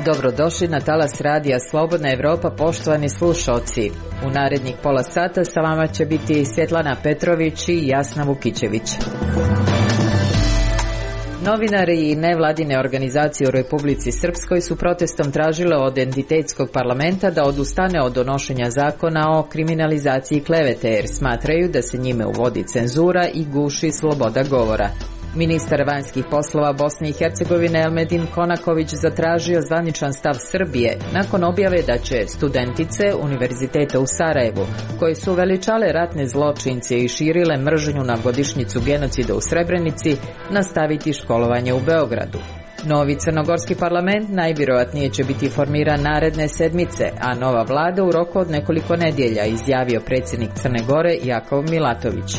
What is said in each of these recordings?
Dobrodošli na talas radija Slobodna Evropa, poštovani slušalci. U narednih pola sata sa vama će biti Svjetlana Petrović i Jasna Vukićević. Novinari i nevladine organizacije u Republici Srpskoj su protestom tražile od entitetskog parlamenta da odustane od donošenja zakona o kriminalizaciji klevete, jer smatraju da se njime uvodi cenzura i guši sloboda govora. Ministar vanjskih poslova Bosne i Hercegovine Elmedin Konaković zatražio zvaničan stav Srbije nakon objave da će studentice Univerziteta u Sarajevu, koje su veličale ratne zločince i širile mržnju na godišnjicu genocida u Srebrenici, nastaviti školovanje u Beogradu. Novi crnogorski parlament najvjerojatnije će biti formiran naredne sedmice, a nova vlada u roku od nekoliko nedjelja, izjavio predsjednik Crne Gore Jakov Milatović.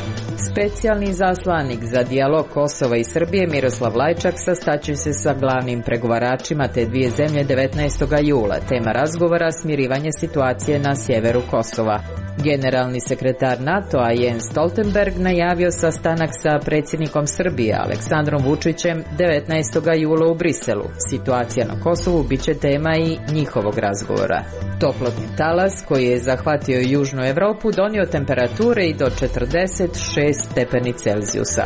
Specijalni zaslanik za dijalog Kosova i Srbije Miroslav Lajčak sastaće se sa glavnim pregovaračima te dvije zemlje 19. jula. Tema razgovora smirivanje situacije na sjeveru Kosova. Generalni sekretar NATO-a Jens Stoltenberg najavio sastanak sa predsjednikom Srbije Aleksandrom Vučićem 19. jula u Briselu. Situacija na Kosovu bit će tema i njihovog razgovora. Toplotni talas koji je zahvatio Južnu Europu donio temperature i do 46 stepeni Celzijusa.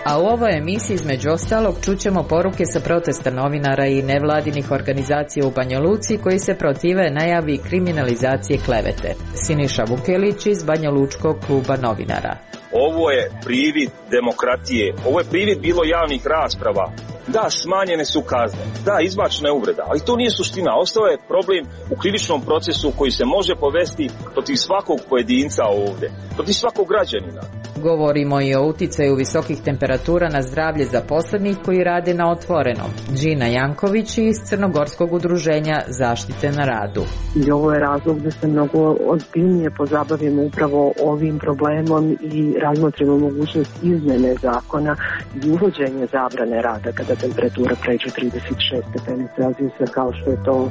A u ovoj emisiji između ostalog čućemo poruke sa protesta novinara i nevladinih organizacija u Banja Luci koji se protive najavi kriminalizacije klevete. Siniša Vukelić iz Banja Lučkog kluba novinara. Ovo je privid demokratije, ovo je privid bilo javnih rasprava. Da, smanjene su kazne, da, izbačena je uvreda, ali to nije suština. Ostao je problem u krivičnom procesu koji se može povesti protiv svakog pojedinca ovdje, protiv svakog građanina. Govorimo i o uticaju visokih temperatura na zdravlje zaposlenih koji rade na otvorenom. Džina Janković iz Crnogorskog udruženja zaštite na radu. I ovo je razlog da se mnogo ozbiljnije pozabavimo upravo ovim problemom i razmotrimo mogućnost izmene zakona i uvođenje zabrane rada kada temperatura pređe 36 stepeni Celzijusa, kao što je to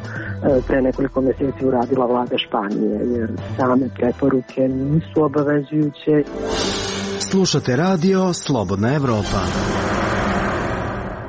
pre nekoliko mjeseci uradila vlada Španije, jer same preporuke nisu obavezujuće. Slušate radio Slobodna Evropa.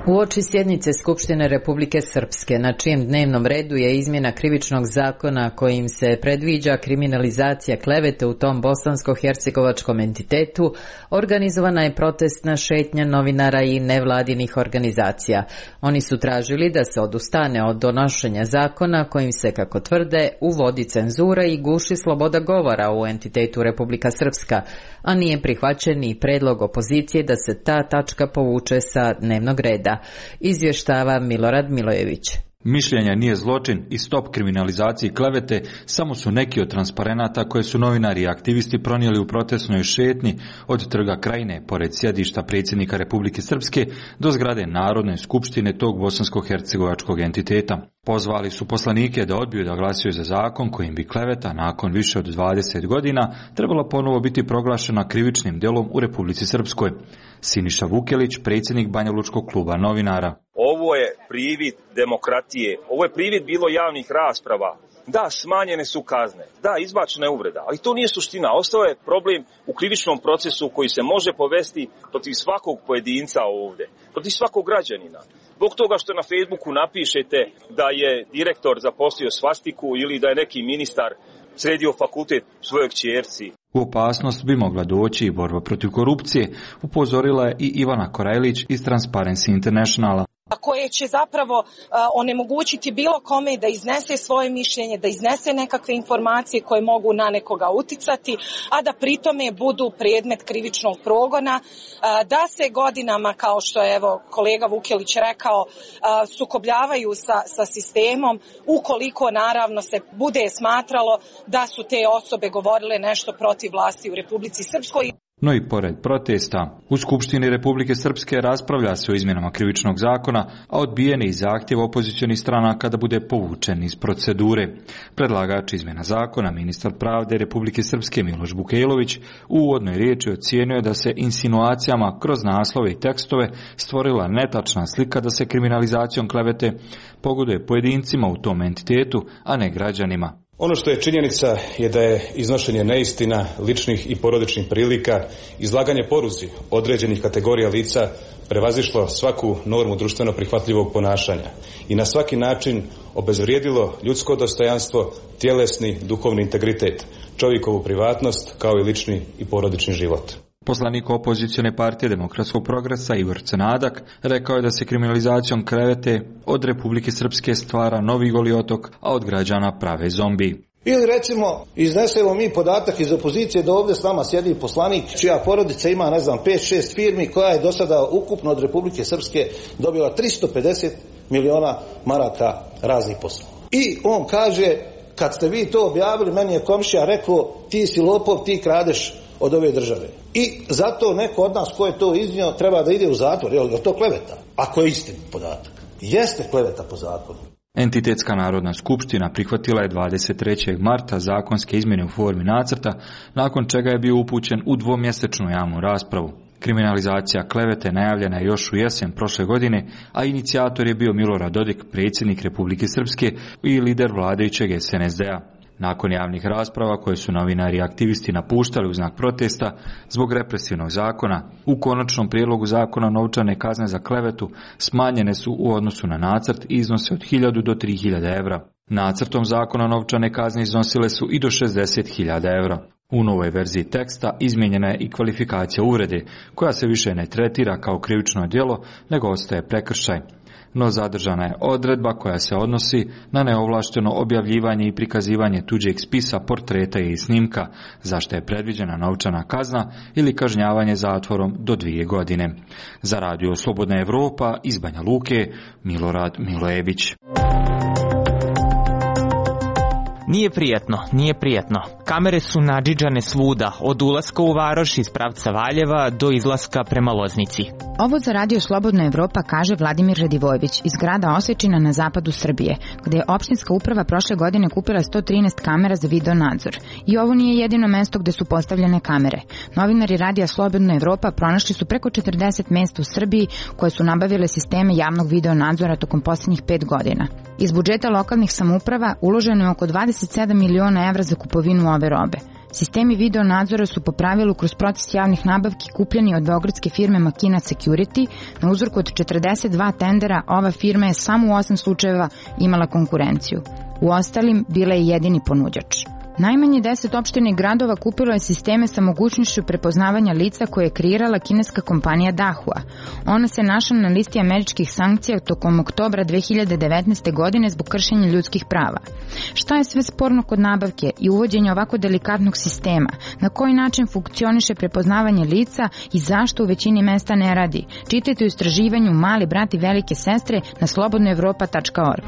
Uoči sjednice Skupštine Republike Srpske, na čijem dnevnom redu je izmjena krivičnog zakona kojim se predviđa kriminalizacija klevete u tom bosansko-hercegovačkom entitetu, organizovana je protestna šetnja novinara i nevladinih organizacija. Oni su tražili da se odustane od donošenja zakona kojim se, kako tvrde, uvodi cenzura i guši sloboda govora u entitetu Republika Srpska, a nije prihvaćen ni predlog opozicije da se ta tačka povuče sa dnevnog reda. Izvještava Milorad Milojević. Mišljenja nije zločin i stop kriminalizaciji klevete samo su neki od transparenata koje su novinari i aktivisti pronijeli u protestnoj šetnji od Trga Krajine, pored sjedišta predsjednika Republike Srpske, do zgrade Narodne skupštine tog bosansko-hercegovačkog entiteta. Pozvali su poslanike da odbiju da glasuju za zakon kojim bi kleveta nakon više od 20 godina trebala ponovo biti proglašena krivičnim djelom u Republici Srpskoj. Siniša Vukelić, predsjednik Banja Lučkog kluba novinara. Ovo je privid demokratije, ovo je privid bilo javnih rasprava. Da, smanjene su kazne, da, izbačena je uvreda, ali to nije suština. Ostao je problem u krivičnom procesu koji se može povesti protiv svakog pojedinca ovdje, protiv svakog građanina. Zbog toga što na Facebooku napišete da je direktor zaposlio svastiku ili da je neki ministar sredio fakultet svojoj kćerci. U opasnost bi mogla doći i borba protiv korupcije, upozorila je i Ivana Korajlić iz Transparency Internationala. Koje će zapravo onemogućiti bilo kome da iznese svoje mišljenje, da iznese nekakve informacije koje mogu na nekoga uticati, a da pritome budu predmet krivičnog progona, da se godinama, kao što je evo kolega Vukelić rekao, sukobljavaju sa sistemom, ukoliko naravno se bude smatralo da su te osobe govorile nešto protiv vlasti u Republici Srpskoj. No i pored protesta, u Skupštini Republike Srpske raspravlja se o izmjenama krivičnog zakona, a odbijen je i zahtjev opozicionih stranaka da bude povučen iz procedure. Predlagač izmjena zakona, ministar pravde Republike Srpske Miloš Bukejlović, u uvodnoj riječi ocijenio da se insinuacijama kroz naslove i tekstove stvorila netačna slika da se kriminalizacijom klevete pogoduje pojedincima u tom entitetu, a ne građanima. Ono što je činjenica je da je iznošenje neistina, ličnih i porodičnih prilika, izlaganje poruzi određenih kategorija lica prevazišlo svaku normu društveno prihvatljivog ponašanja i na svaki način obezvrijedilo ljudsko dostojanstvo, tjelesni, duhovni integritet, čovjekovu privatnost kao i lični i porodični život. Poslanik opozicione partije Demokratskog progresa Igor Crnadak rekao je da se kriminalizacijom klevete od Republike Srpske stvara novi Goli otok, a od građana prave zombi. Ili recimo iznesemo mi podatak iz opozicije da ovdje s nama sjedi poslanik čija porodica ima 5-6 firmi koja je do sada ukupno od Republike Srpske dobila 350 miliona maraka raznih poslova. I on kaže, kad ste vi to objavili, meni je komšija rekao, ti si lopov, ti kradeš od ove države. I zato neko od nas ko je to iznio treba da ide u zatvor. Je to kleveta? Ako je istin podatak. Jeste kleveta po zakonu. Entitetska narodna skupština prihvatila je 23. marta zakonske izmjene u formi nacrta, nakon čega je bio upućen u dvomjesečnu javnu raspravu. Kriminalizacija klevete najavljena je još u jesen prošle godine, a inicijator je bio Milorad Dodik, predsjednik Republike Srpske i lider vladajućeg SNSD-a. Nakon javnih rasprava koje su novinari i aktivisti napuštali u znak protesta zbog represivnog zakona, u konačnom prijedlogu zakona novčane kazne za klevetu smanjene su u odnosu na nacrt i iznose od 1000 do 3000 evra. Nacrtom zakona novčane kazne iznosile su i do 60.000 evra. U novoj verziji teksta izmijenjena je i kvalifikacija uvrede, koja se više ne tretira kao krivično djelo, nego ostaje prekršaj. No zadržana je odredba koja se odnosi na neovlašteno objavljivanje i prikazivanje tuđeg spisa, portreta i snimka, za što je predviđena novčana kazna ili kažnjavanje zatvorom do 2 godine. Za Radio Slobodna Evropa iz Banja Luke, Milorad Milojević. Nije prijetno. Kamere su nadžiđane svuda, od ulaska u Varoš iz pravca Valjeva do izlaska prema Loznici. Ovo za Radio Slobodna Evropa kaže Vladimir Radivojević iz grada Osečina na zapadu Srbije, gdje je opštinska uprava prošle godine kupila 113 kamera za video nadzor. I ovo nije jedino mesto gdje su postavljene kamere. Novinari Radija Slobodna Evropa pronašli su preko 40 mesta u Srbiji koje su nabavile sisteme javnog video nadzora tokom posljednjih 5 godina. Iz budžeta lokalnih samouprava uloženo je oko 27 miliona evra za kupovinu ove robe. Sistemi video nadzora su po pravilu kroz proces javnih nabavki kupljeni od beogradske firme Makina Security. Na uzorku od 42 tendera ova firma je samo u 8 slučajeva imala konkurenciju. U ostalim bila je jedini ponuđač. Najmanje 10 opština i gradova kupilo je sisteme sa mogućnošću prepoznavanja lica koje je kreirala kineska kompanija Dahua. Ona se našla na listi američkih sankcija tokom oktobra 2019. godine zbog kršenja ljudskih prava. Šta je sve sporno kod nabavke i uvođenja ovako delikatnog sistema? Na koji način funkcioniše prepoznavanje lica i zašto u većini mesta ne radi? Čitajte u istraživanju Mali brat i velike sestre na slobodnoevropa.org.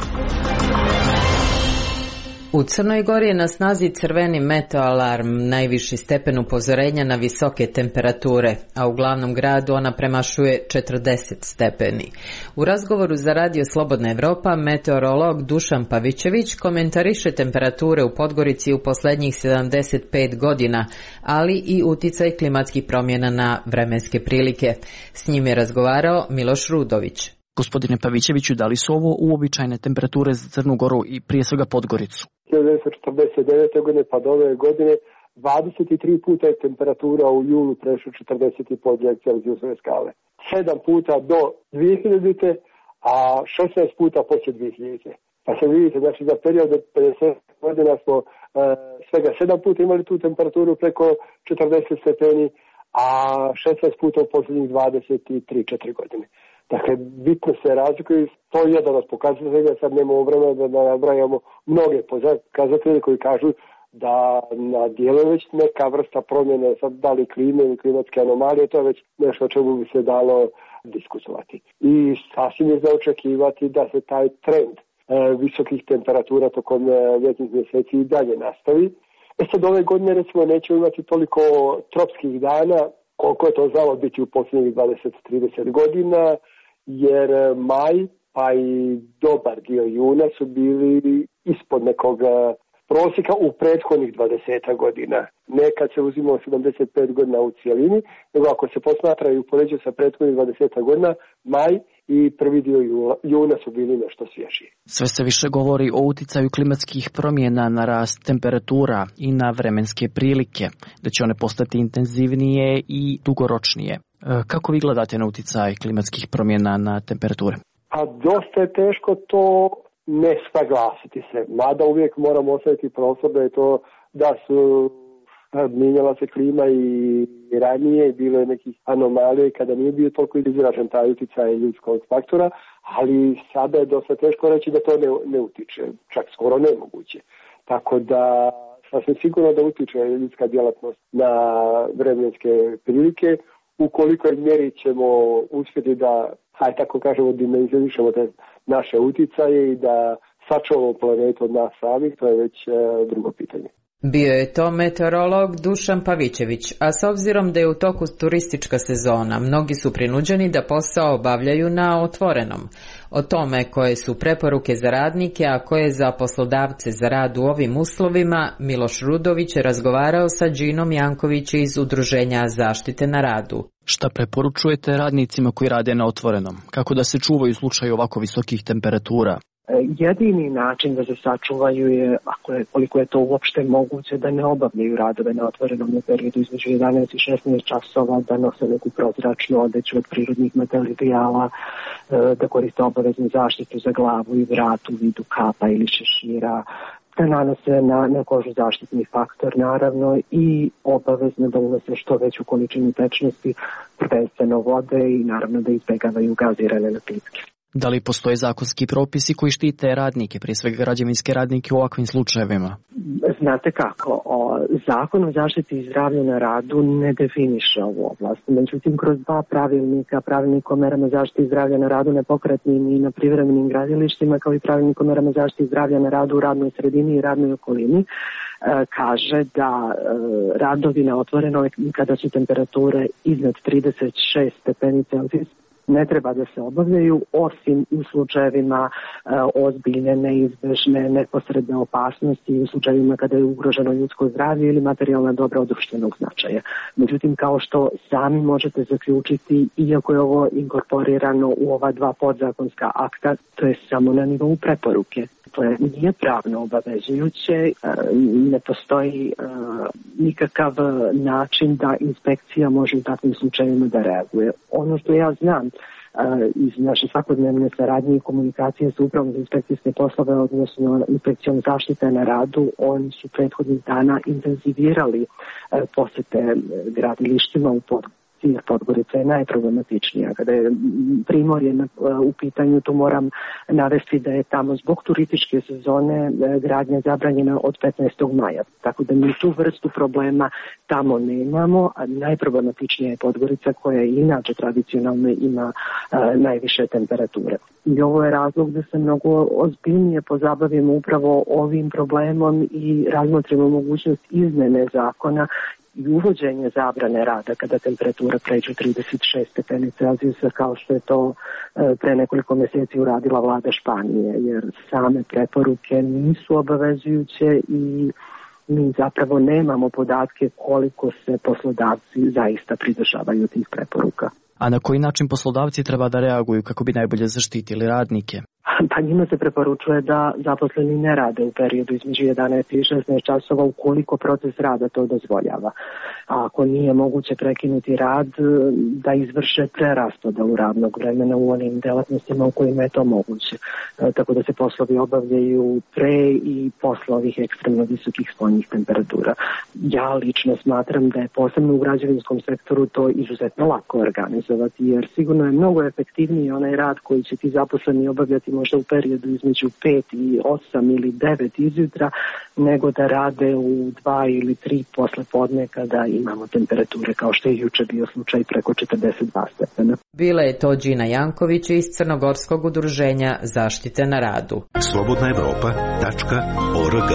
U Crnoj Gori je na snazi crveni meteoalarm, najviši stepen upozorenja na visoke temperature, a u glavnom gradu ona premašuje 40 stepeni. U razgovoru za Radio Slobodna Evropa meteorolog Dušan Pavićević komentariše temperature u Podgorici u posljednjih 75 godina, ali i uticaj klimatskih promjena na vremenske prilike. S njim je razgovarao Miloš Rudović. Gospodine Pavićeviću, da li su ovo uobičajene temperature za Crnu Goru i prije svega Podgoricu? 1949. godine pa do ove godine 23 puta je temperatura u julu prešla 40,5 Celzijusove skale. 7 puta do 2000. a 16 puta poslije 2000. Pa se vidite, znači za period od 50 godina smo svega 7 puta imali tu temperaturu preko 40 stepeni, a 16 puta u posljednjih 23-4 godine. Dakle, bitno se razlikuju, to je jedan od pokazatelja, sad nemamo vremena da nabrajamo mnoge pokazatelje koji kažu da na dijelu već neka vrsta promjene, sad da li klime ili klimatske anomalije, to je već nešto o čemu bi se dalo diskutovati. I sasvim je za očekivati da se taj trend visokih temperatura tokom ljetnih mjeseci i dalje nastavi. Sad ove godine recimo nećemo imati toliko tropskih dana koliko je to znalo biti u posljednjih 20-30 godina, jer maj pa i dobar dio juna su bili ispod nekog prosjeka u prethodnih 20 godina. Ne kad se uzimao 75 godina u cijelini, nego ako se posmatra i upoređuje sa prethodnih 20 godina, maj i prvi dio juna su bili nešto svježiji. Sve se više govori o uticaju klimatskih promjena na rast temperatura i na vremenske prilike, da će one postati intenzivnije i dugoročnije. Kako vi gledate na uticaj klimatskih promjena na temperature? A dosta je teško to ne saglasiti se, mada uvijek moramo ostaviti prostor da je to da su mijenjala se klima i ranije, bilo je nekih anomalije kada nije bio toliko izražen taj utjecaj ljudskog faktora, ali sada je dosta teško reći da to ne utiče, čak skoro nemoguće. Tako da sasvim sigurno da utiče ljudska djelatnost na vremenske prilike, ukoliko mjeri ćemo uspjeti da, hajde tako kažemo, dimenzionišemo te naše uticaje i da sačuvamo planetu od nas samih, to je već drugo pitanje. Bio je to meteorolog Dušan Pavićević, a s obzirom da je u toku turistička sezona, mnogi su prinuđeni da posao obavljaju na otvorenom. O tome koje su preporuke za radnike, a koje za poslodavce za rad u ovim uslovima, Miloš Rudović je razgovarao sa Džinom Janković iz Udruženja zaštite na radu. Šta preporučujete radnicima koji rade na otvorenom? Kako da se čuvaju u slučaju ovako visokih temperatura? Jedini način da se sačuvaju je, koliko je to uopšte moguće, da ne obavljaju radove na otvorenom u periodu između 11 i 16 časova, da nose neku prozračnu odeću od prirodnih materijala, da koriste obaveznu zaštitu za glavu i vrat u vidu kapa ili šešira, da nanose na kožu zaštitni faktor naravno i obavezno da unose što veću količinu tečnosti, prvenstveno vode i naravno da izbjegavaju gazirane napitke. Da li postoje zakonski propisi koji štite radnike, prije svega građevinske radnike u ovakvim slučajevima? Znate kako, Zakon o zaštiti i zdravlju na radu ne definiše ovu oblast. Međutim, kroz dva pravilnika, pravilnik o merama zaštite i zdravlja na radu nepokretnim i na privremenim gradilištima, kao i pravilnik o merama zaštite i zdravlja na radu u radnoj sredini i radnoj okolini, kaže da radovi na otvorenoj kada su temperature iznad 36 stepeni Celzijus ne treba da se obavljaju, osim u slučajevima ozbiljne, neizbežne, neposredne opasnosti i u slučajevima kada je ugroženo ljudsko zdravlje ili materijalna dobra od društvenog značaja. Međutim, kao što sami možete zaključiti, iako je ovo inkorporirano u ova dva podzakonska akta, to je samo na nivou preporuke. To nije pravno obavezujuće, ne postoji nikakav način da inspekcija može u takvim slučajevima da reaguje. Ono što ja znam iz naše svakodnevne saradnje i komunikacije sa upravom za inspekcijske poslove, odnosno inspekcijom zaštite na radu, oni su prethodnih dana intenzivirali posjete gradilištima u jer Podgorica je najproblematičnija. Kada je Primorje u pitanju, tu moram navesti da je tamo zbog turističke sezone gradnja zabranjena od 15. maja. Tako da mi tu vrstu problema tamo nemamo, a najproblematičnija je Podgorica koja inače tradicionalno ima najviše temperature. I ovo je razlog da se mnogo ozbiljnije pozabavimo upravo ovim problemom i razmotrimo mogućnost izmene zakona i uvođenje zabrane rada kada temperatura pređe 36 stepeni Celzijusa, kao što je to pre nekoliko mjeseci uradila vlada Španije, jer same preporuke nisu obavezujuće i mi zapravo nemamo podatke koliko se poslodavci zaista pridržavaju tih preporuka. A na koji način poslodavci treba da reaguju kako bi najbolje zaštitili radnike? Pa njima se preporučuje da zaposleni ne rade u periodu između 11 i 16 časova ukoliko proces rada to dozvoljava. A ako nije moguće prekinuti rad, da izvrše preraspodelu radnog vremena u onim delatnostima u kojima je to moguće. Tako da se poslovi obavljaju pre i posle ovih ekstremno visokih spoljnih temperatura. Ja lično smatram da je posebno u građevinskom sektoru to izuzetno lako organizovati, jer sigurno je mnogo efektivniji onaj rad koji će ti zaposleni obavljati možda u periodu između 5 i 8 ili 9 izjutra, nego da rade u 2 ili 3 posle podne kada imamo temperature kao što je juče bio slučaj preko 42 stepena. Bila je to Džina Janković iz Crnogorskog udruženja zaštite na radu. Slobodna Evropa.org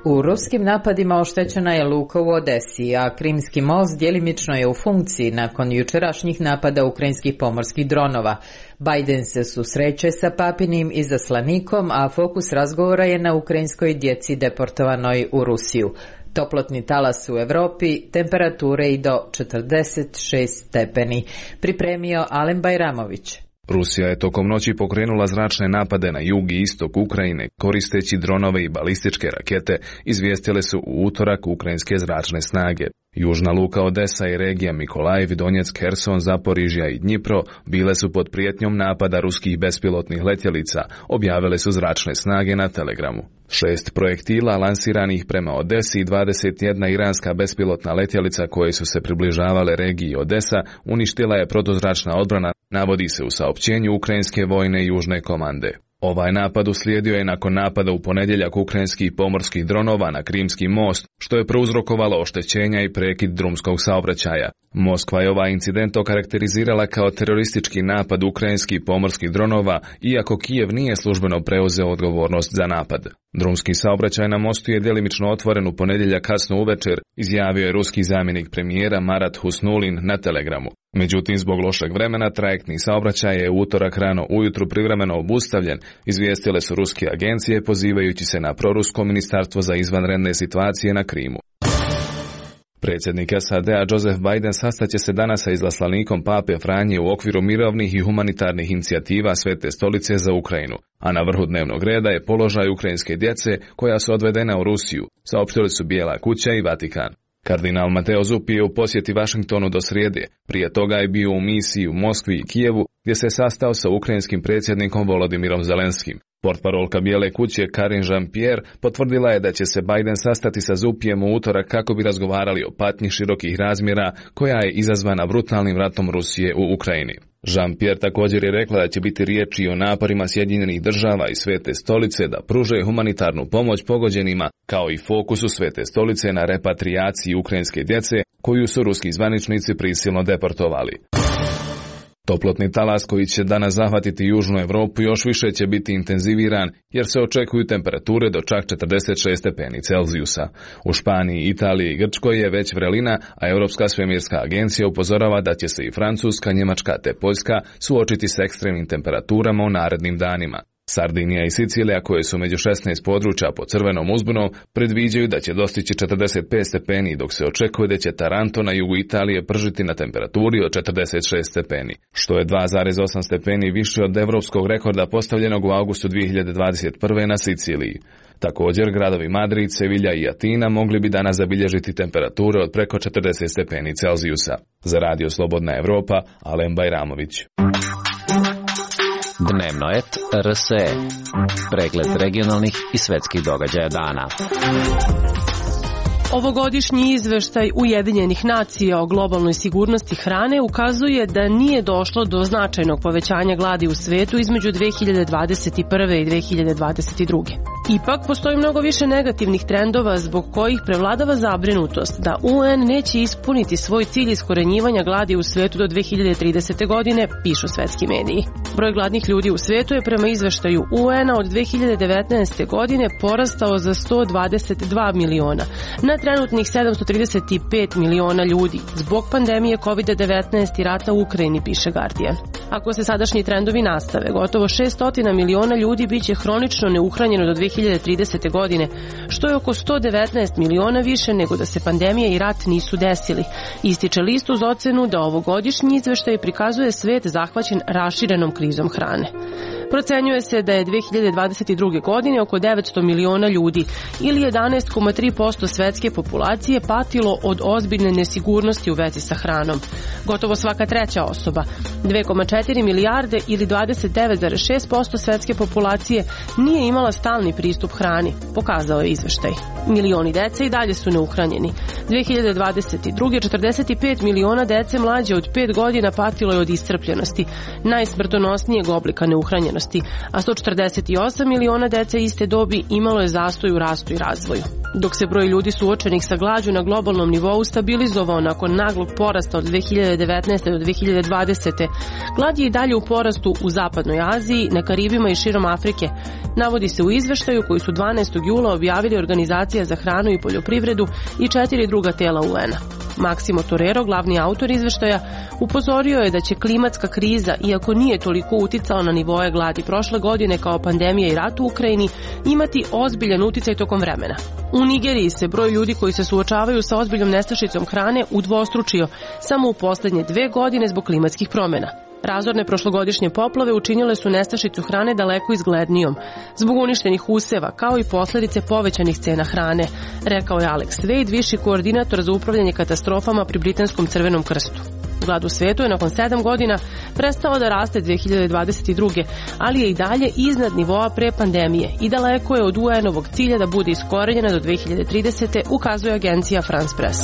U ruskim napadima oštećena je luka u Odesi, a Krimski most djelimično je u funkciji nakon jučerašnjih napada ukrajinskih pomorskih dronova. Biden se susreće sa papinim izaslanikom, a fokus razgovora je na ukrajinskoj djeci deportovanoj u Rusiju. Toplotni talas u Evropi, temperature i do 46 stepeni. Pripremio Alen Bajramović. Rusija je tokom noći pokrenula zračne napade na jug i istok Ukrajine koristeći dronove i balističke rakete, izvijestile su u utorak ukrajinske zračne snage. Južna luka Odesa i regija Mikolajev, Donjeck, Herson, Zaporižja i Dnjipro bile su pod prijetnjom napada ruskih bespilotnih letjelica, objavile su zračne snage na Telegramu. 6 projektila lansiranih prema Odesi i 21 iranska bespilotna letjelica koje su se približavale regiji Odesa uništila je protuzračna odbrana, navodi se u saopćenju ukrajinske vojne južne komande. Ovaj napad uslijedio je nakon napada u ponedjeljak ukrajinskih pomorskih dronova na Krimski most, što je prouzrokovalo oštećenja i prekid drumskog saobraćaja. Moskva je ovaj incident okarakterizirala kao teroristički napad ukrajinskih pomorskih dronova, iako Kijev nije službeno preuzeo odgovornost za napad. Drumski saobraćaj na mostu je djelimično otvoren u ponedjeljak kasno uvečer, izjavio je ruski zamjenik premijera Marat Husnulin na Telegramu. Međutim, zbog lošeg vremena trajektni saobraćaj je u utorak rano ujutru privremeno obustavljen, izvijestile su ruske agencije pozivajući se na prorusko ministarstvo za izvanredne situacije na Krimu. Predsjednik SAD-a Joseph Biden sastaće se danas sa izaslanikom Pape Franje u okviru mirovnih i humanitarnih inicijativa Svete stolice za Ukrajinu, a na vrhu dnevnog reda je položaj ukrajinske djece koja su odvedena u Rusiju, saopštili su Bijela kuća i Vatikan. Kardinal Mateo Zuppi je u posjeti Vašingtonu do srijede, prije toga je bio u misiji u Moskvi i Kijevu gdje se sastao sa ukrajinskim predsjednikom Volodimirom Zelenskim. Portparolka Bijele kuće Karine Jean-Pierre potvrdila je da će se Biden sastati sa Zuppijem u utorak kako bi razgovarali o patnji širokih razmjera koja je izazvana brutalnim ratom Rusije u Ukrajini. Jean-Pierre također je rekla da će biti riječi o naporima Sjedinjenih država i Svete stolice da pruže humanitarnu pomoć pogođenima, kao i fokusu Svete stolice na repatrijaciji ukrajinske djece koju su ruski zvaničnici prisilno deportovali. Toplotni talas koji će danas zahvatiti južnu Europu još više će biti intenziviran jer se očekuju temperature do čak 46 stepeni Celzijusa. U Španiji, Italiji i Grčkoj je već vrelina, a Europska svemirska agencija upozorava da će se i Francuska, Njemačka te Poljska suočiti s ekstremnim temperaturama u narednim danima. Sardinija i Sicilija, koje su među 16 područja pod crvenom uzbunom, predviđaju da će dostići 45 stepeni, dok se očekuje da će Taranto na jugu Italije pržiti na temperaturi od 46 stepeni, što je 2,8 stepeni više od evropskog rekorda postavljenog u avgustu 2021. na Siciliji. Također, gradovi Madrid, Sevilja i Atina mogli bi danas zabilježiti temperature od preko 40 stepeni Celzijusa. Za Radio Slobodna Evropa, Alen Bajramović. Dnevnoet RSE. Pregled regionalnih i svetskih događaja dana. Ovogodišnji izveštaj Ujedinjenih nacija o globalnoj sigurnosti hrane ukazuje da nije došlo do značajnog povećanja gladi u svetu između 2021. i 2022. Ipak, postoji mnogo više negativnih trendova zbog kojih prevladava zabrinutost da UN neće ispuniti svoj cilj iskorenjivanja gladi u svetu do 2030. godine, pišu svetski mediji. Broj gladnih ljudi u svetu je prema izveštaju UN-a od 2019. godine porastao za 122 miliona, na trenutnih 735 miliona ljudi, zbog pandemije COVID-19 i rata u Ukrajini, piše Guardian. Ako se sadašnji trendovi nastave, gotovo 600 miliona ljudi biće hronično neuhranjeno do 2030. godine, što je oko 119 miliona više nego da se pandemija i rat nisu desili. Ističe list uz ocenu da ovogodišnji izveštaj prikazuje svet zahvaćen raširenom krizom hrane. Procenjuje se da je 2022. godine oko 900 miliona ljudi ili 11,3% svetske populacije patilo od ozbiljne nesigurnosti u vezi sa hranom. Gotovo svaka treća osoba, 2,4 milijarde ili 29,6% svetske populacije nije imala stalni pristup hrani, pokazao je izveštaj. Milioni dece i dalje su neuhranjeni. 2022. 45 miliona dece mlađe od 5 godina patilo je od iscrpljenosti, najsmrtonosnijeg oblika neuhranjenosti, a 148 miliona dece iste dobi imalo je zastoj u rastu i razvoju. Dok se broj ljudi suočenih sa glađu na globalnom nivou stabilizovao nakon naglog porasta od 2019. do 2020. glad je i dalje u porastu u Zapadnoj Aziji, na Karibima i širom Afrike. Navodi se u izveštaju koji su 12. jula objavili Organizacija za hranu i poljoprivredu i 4 druga tela UN-a. Maksimo Torero, glavni autor izveštaja, upozorio je da će klimatska kriza, iako nije toliko uticala na nivoe gladi prošle godine kao pandemija i rat u Ukrajini, imati ozbiljan uticaj tokom vremena. U Nigeriji se broj ljudi koji se suočavaju sa ozbiljnom nestašicom hrane udvostručio samo u poslednje 2 godine zbog klimatskih promjena. Razorne prošlogodišnje poplave učinile su nestašicu hrane daleko izglednijom, zbog uništenih useva, kao i posljedice povećanih cena hrane, rekao je Alex Wade, viši koordinator za upravljanje katastrofama pri Britanskom Crvenom krstu. Glad u svetu je nakon 7 godina prestao da raste 2022. ali je i dalje iznad nivoa pre pandemije i daleko je od UN-ovog cilja da bude iskorenjena do 2030. ukazuje agencija France Press.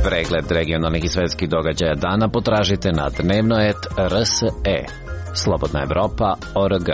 Pregled regionalnih i svetskih događaja dana potražite na dnevnoet.rse. Slobodna Evropa.org.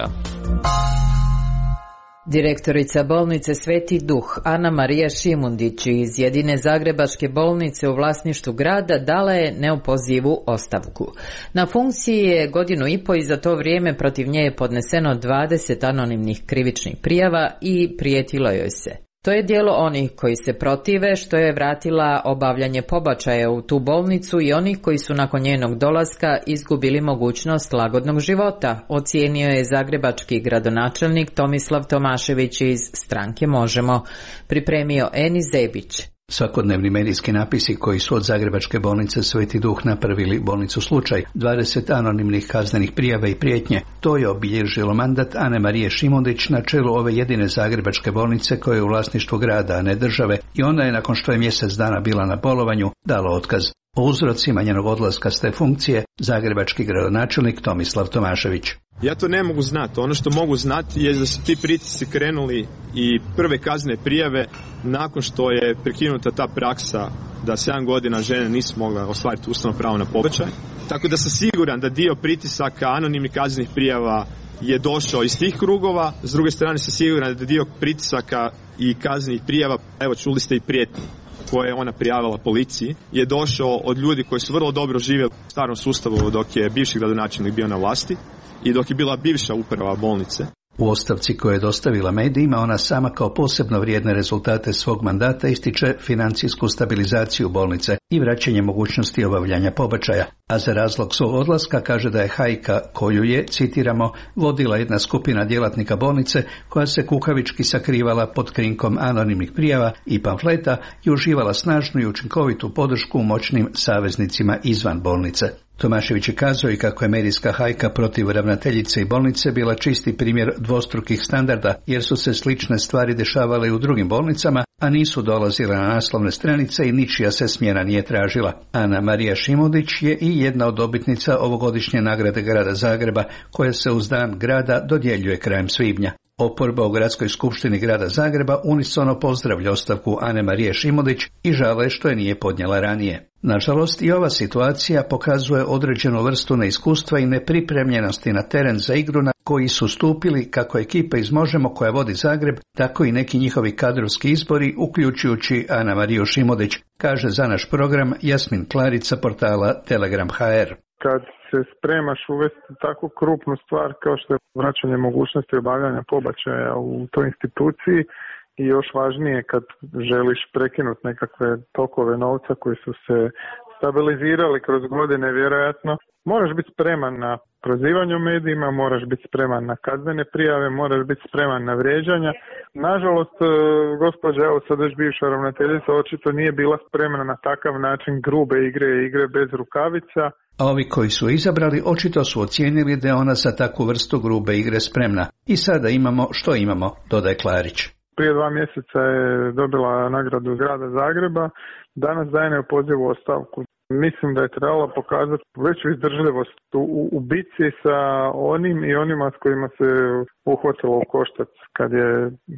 Direktorica bolnice Sveti Duh Ana Marija Šimundić iz jedine zagrebačke bolnice u vlasništvu grada dala je neopozivu ostavku. Na funkciji je 1,5 godina i za to vrijeme protiv nje je podneseno 20 anonimnih krivičnih prijava i prijetilo joj se. To je dijelo onih koji se protive što je vratila obavljanje pobačaja u tu bolnicu i onih koji su nakon njenog dolaska izgubili mogućnost lagodnog života, ocijenio je zagrebački gradonačelnik Tomislav Tomašević iz stranke Možemo, pripremio Eni Zebić. Svakodnevni medijski napisi koji su od zagrebačke bolnice Sveti Duh napravili bolnicu slučaj, 20 anonimnih kaznenih prijava i prijetnje, to je obilježilo mandat Ane Marije Šimundić na čelu ove jedine zagrebačke bolnice koja je u vlasništvu grada, a ne države, i ona je nakon što je mjesec dana bila na bolovanju dala otkaz. O uzrocima njenog odlaska s te funkcije zagrebački gradonačelnik Tomislav Tomašević. Ja to ne mogu znati. Ono što mogu znati je da su ti pritisci krenuli i prve kaznene prijave nakon što je prekinuta ta praksa da 7 godina žene nisu mogle ostvariti ustavno pravo na pobačaj. Tako da sam siguran da dio pritisaka anonimnih kaznenih prijava je došao iz tih krugova. S druge strane sam siguran da dio pritisaka i kaznenih prijava, evo čuli ste i prijetnje koje je ona prijavila policiji, je došao od ljudi koji su vrlo dobro živjeli u starom sustavu dok je bivši gradonačelnik bio na vlasti i dok je bila bivša uprava bolnice. U ostavci koju je dostavila medijima, ona sama kao posebno vrijedne rezultate svog mandata ističe financijsku stabilizaciju bolnice i vraćanje mogućnosti obavljanja pobačaja, a za razlog svog odlaska kaže da je hajka koju je, citiramo, vodila jedna skupina djelatnika bolnice koja se kukavički sakrivala pod krinkom anonimnih prijava i pamfleta i uživala snažnu i učinkovitu podršku moćnim saveznicima izvan bolnice. Tomašević je kazao i kako je medijska hajka protiv ravnateljice i bolnice bila čisti primjer dvostrukih standarda, jer su se slične stvari dešavale i u drugim bolnicama, a nisu dolazile na naslovne stranice i ničija se smjena nije tražila. Ana Marija Šimundić je i jedna od dobitnica ovogodišnje nagrade grada Zagreba, koja se uz dan grada dodjeljuje krajem svibnja. Oporba u gradskoj skupštini grada Zagreba unisono pozdravlja ostavku Ane Marije Šimundić i žale što je nije podnijela ranije. Nažalost, i ova situacija pokazuje određenu vrstu neiskustva i nepripremljenosti na teren za igru na koji su stupili kako ekipa iz Možemo koja vodi Zagreb, tako i neki njihovi kadrovski izbori, uključujući Ana Mariju Šimundić, kaže za naš program Jasmin Klarica portala Telegram.hr. Kad se spremaš uvesti tako krupnu stvar kao što je vraćanje mogućnosti obavljanja pobačaja u toj instituciji i još važnije kad želiš prekinuti nekakve tokove novca koji su se stabilizirali kroz godine vjerojatno, moraš biti spreman na prozivanje u medijima, moraš biti spreman na kaznene prijave, moraš biti spreman na vrijeđanja. Nažalost, gospođa, evo sad već bivša ravnateljica, očito nije bila spremna na takav način grube igre bez rukavica. A ovi koji su izabrali očito su ocijenili da je ona za takvu vrstu grube igre spremna. I sada imamo što imamo, dodaje Klarić. Prije 2 mjeseca je dobila nagradu grada Zagreba, danas daje neopozivu ostavku. Mislim da je trebalo pokazati veću izdržljivost u bici sa onim i onima s kojima se uhvatilo u koštac kad je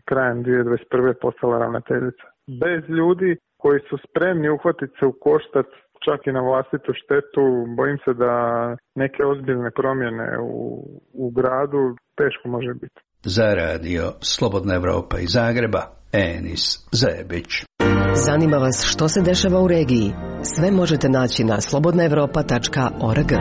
krajem 2021. postala ravnateljica. Bez ljudi koji su spremni uhvatiti se u koštac čak i na vlastitu štetu, bojim se da neke ozbiljne promjene u gradu teško može biti. Za radio Slobodna Evropa iz Zagreba, Enis Zebić. Zanima vas što se dešava u regiji? Sve možete naći na slobodnaevropa.org.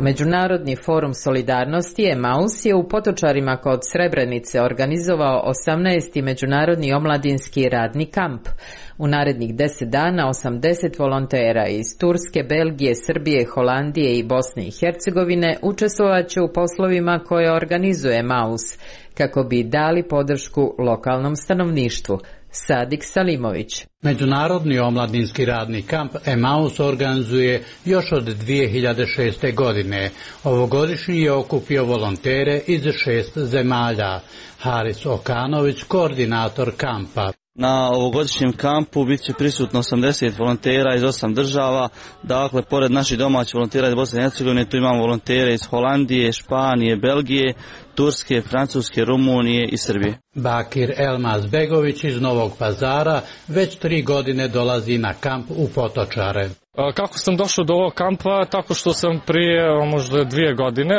Međunarodni forum solidarnosti Emaus je u Potočarima kod Srebrenice organizovao 18. međunarodni omladinski radni kamp. U narednih 10 dana 80 volontera iz Turske, Belgije, Srbije, Holandije i Bosne i Hercegovine učestvovat će u poslovima koje organizuje Emaus, kako bi dali podršku lokalnom stanovništvu. Sadik Salimović. Međunarodni omladinski radni kamp Emaus organizuje još od 2006. godine. Ovogodišnji je okupio volontere iz 6 zemalja. Haris Okanović, koordinator kampa. Na ovogodišnjem kampu bit će prisutno 80 volontera iz 8 država, dakle, pored naših domaćih volontera iz Bosne i Hercegovine, tu imamo volontere iz Holandije, Španije, Belgije, Turske, Francuske, Rumunije i Srbije. Bakir Elmaz Begović iz Novog Pazara već 3 godine dolazi na kamp u Potočare. Kako sam došao do ovog kampa? Tako što sam prije možda 2 godine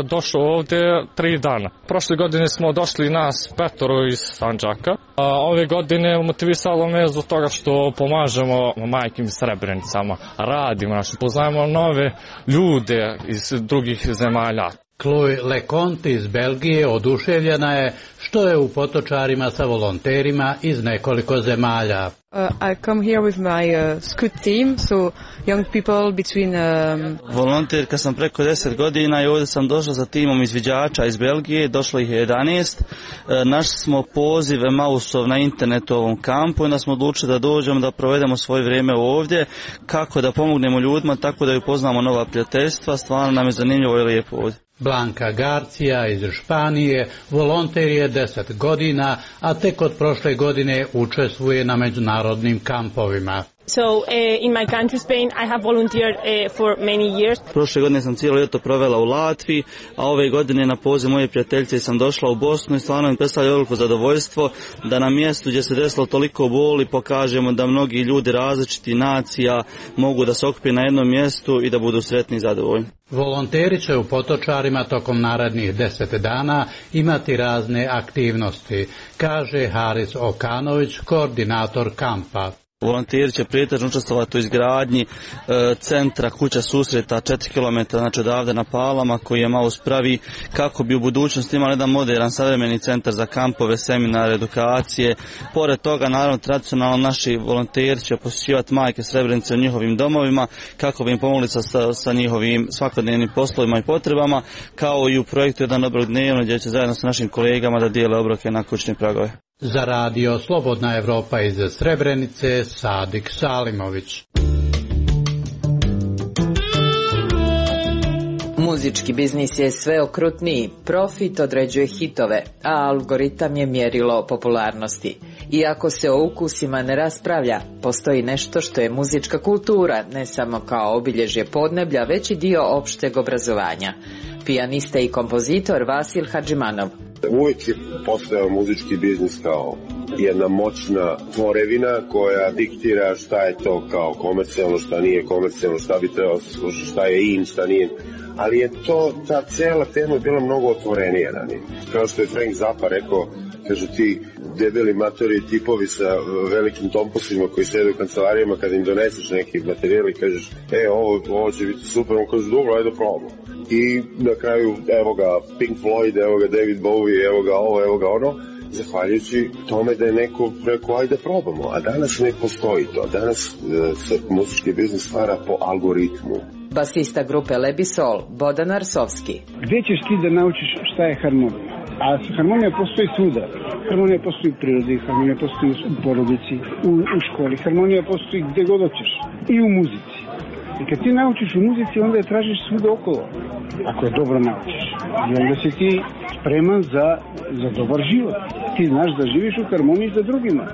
došao ovdje 3 dana. Prošle godine smo došli nas 5 iz Sandžaka. Ove godine motivisalo me zbog toga što pomažemo majkim Srebrenicama, radimo, poznajemo nove ljude iz drugih zemalja. Chloe Leconte iz Belgije oduševljena je što je u Potočarima sa volonterima iz nekoliko zemalja. I come here with my scout team, so young people between... Volonterka sam preko 10 godina i ovdje sam došla sa timom izviđača iz Belgije, došlo ih je 11. Našli smo poziv Emausov na internetu ovom kampu i onda smo odlučili da dođemo, da provedemo svoje vrijeme ovdje, kako da pomognemo ljudima, tako da upoznamo nova prijateljstva. Stvarno nam je zanimljivo i lijepo ovdje. Blanka Garcija iz Španije volonter je 10 godina, a tek od prošle godine učestvuje na međunarodnim kampovima. So in my country Spain I have volunteered for many years. Prošle godine sam cijelo ljeto provela u Latviji, a ove godine na poziv moje prijateljice sam došla u Bosnu i stvarno mi predstavlja veliko zadovoljstvo da na mjestu gdje se desilo toliko boli pokažemo da mnogi ljudi različitih nacija mogu da se okupe na jednom mjestu i da budu sretni i zadovoljni. Volonteri će u Potočarima tokom narednih 10 dana imati razne aktivnosti, kaže Haris Okanović, koordinator kampa. Volonteri će pretežno učestvovati u izgradnji centra kuća susreta 4 km znači odavde na Palama koji Emaus pravi kako bi u budućnosti imali jedan modern savremeni centar za kampove, seminare, edukacije. Pored toga, naravno, tradicionalno naši volonteri će posjećivati majke Srebrenice u njihovim domovima kako bi im pomogli sa njihovim svakodnevnim poslovima i potrebama, kao i u projektu Jedan obrok dnevno gdje će zajedno sa našim kolegama da dijele obroke na kućne pragove. Za radio Slobodna Evropa iz Srebrenice, Sadik Salimović. Muzički biznis je sve okrutniji, profit određuje hitove, a algoritam je mjerilo popularnosti. Iako se o ukusima ne raspravlja, postoji nešto što je muzička kultura, ne samo kao obilježje podneblja, već i dio opšteg obrazovanja. Pijanista i kompozitor Vasil Hadžimanov. Uvijek je postojao muzički biznis kao jedna moćna tvorevina koja diktira šta je to kao komercijalno, šta nije komercijalno, šta bi trebalo se slušati, šta je in, šta nije. Ali je to, ta cijela tema je bila mnogo otvorenija ranije. Kao što je Frank Zappa rekao, kažu ti debeli matori tipovi sa velikim tomposima koji sede u kancelarijama, kad im doneseš neki materijal i kažeš ovo će biti super, on kaže dobro, ajde probamo. I na kraju evo ga Pink Floyd, evo ga David Bowie, evo ga ovo, evo ga ono, zahvaljujući tome da je neko rekao ajde probamo, a danas ne postoji to. Danas se muzički biznis stvara po algoritmu. Basista grupe Lebisol, Bodan Arsovski. Gdje ćeš ti da naučiš šta je harmonija? A harmonija postoji svuda. Harmonija postoji u prirodi, harmonija postoji u porodici, u školi. Harmonija postoji gdje god hoćeš. I u muzici. I kad ti naučiš u muzici, onda je tražiš svuda okolo. Ako je dobro naučiš. I onda si ti spreman za dobar život. Ti znaš da živiš u harmoniji za drugima.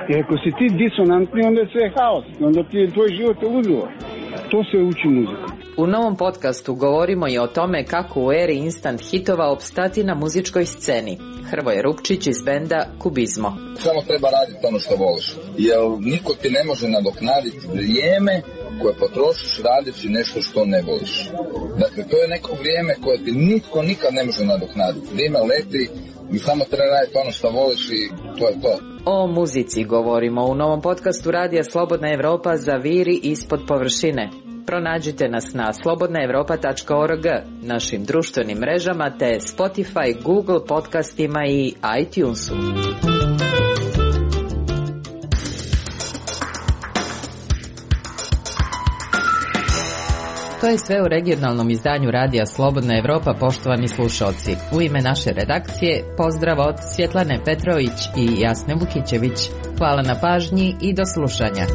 Jer ako si ti disonantni, onda je sve haos. Onda ti je tvoj život ludilo. To se uči muzika. U novom podcastu govorimo i o tome kako u eri instant hitova opstati na muzičkoj sceni. Hrvoje Rupčić iz benda Kubizmo. Samo treba raditi ono što voliš. Jer niko ti ne može nadoknaditi vrijeme koje potrošiš radeći nešto što ne voliš. Dakle, to je neko vrijeme koje ti nitko nikad ne može nadoknaditi. Vrijeme leti i samo treba raditi ono što voliš i to je to. O muzici govorimo u novom podcastu Radija Slobodna Evropa Zaviri ispod površine. Pronađite nas na slobodnaevropa.org, našim društvenim mrežama te Spotify, Google podcastima i iTunesu. To je sve u regionalnom izdanju Radija Slobodna Evropa, poštovani slušalci. U ime naše redakcije, pozdrav od Svjetlane Petrović i Jasne Vukićević. Hvala na pažnji i do slušanja.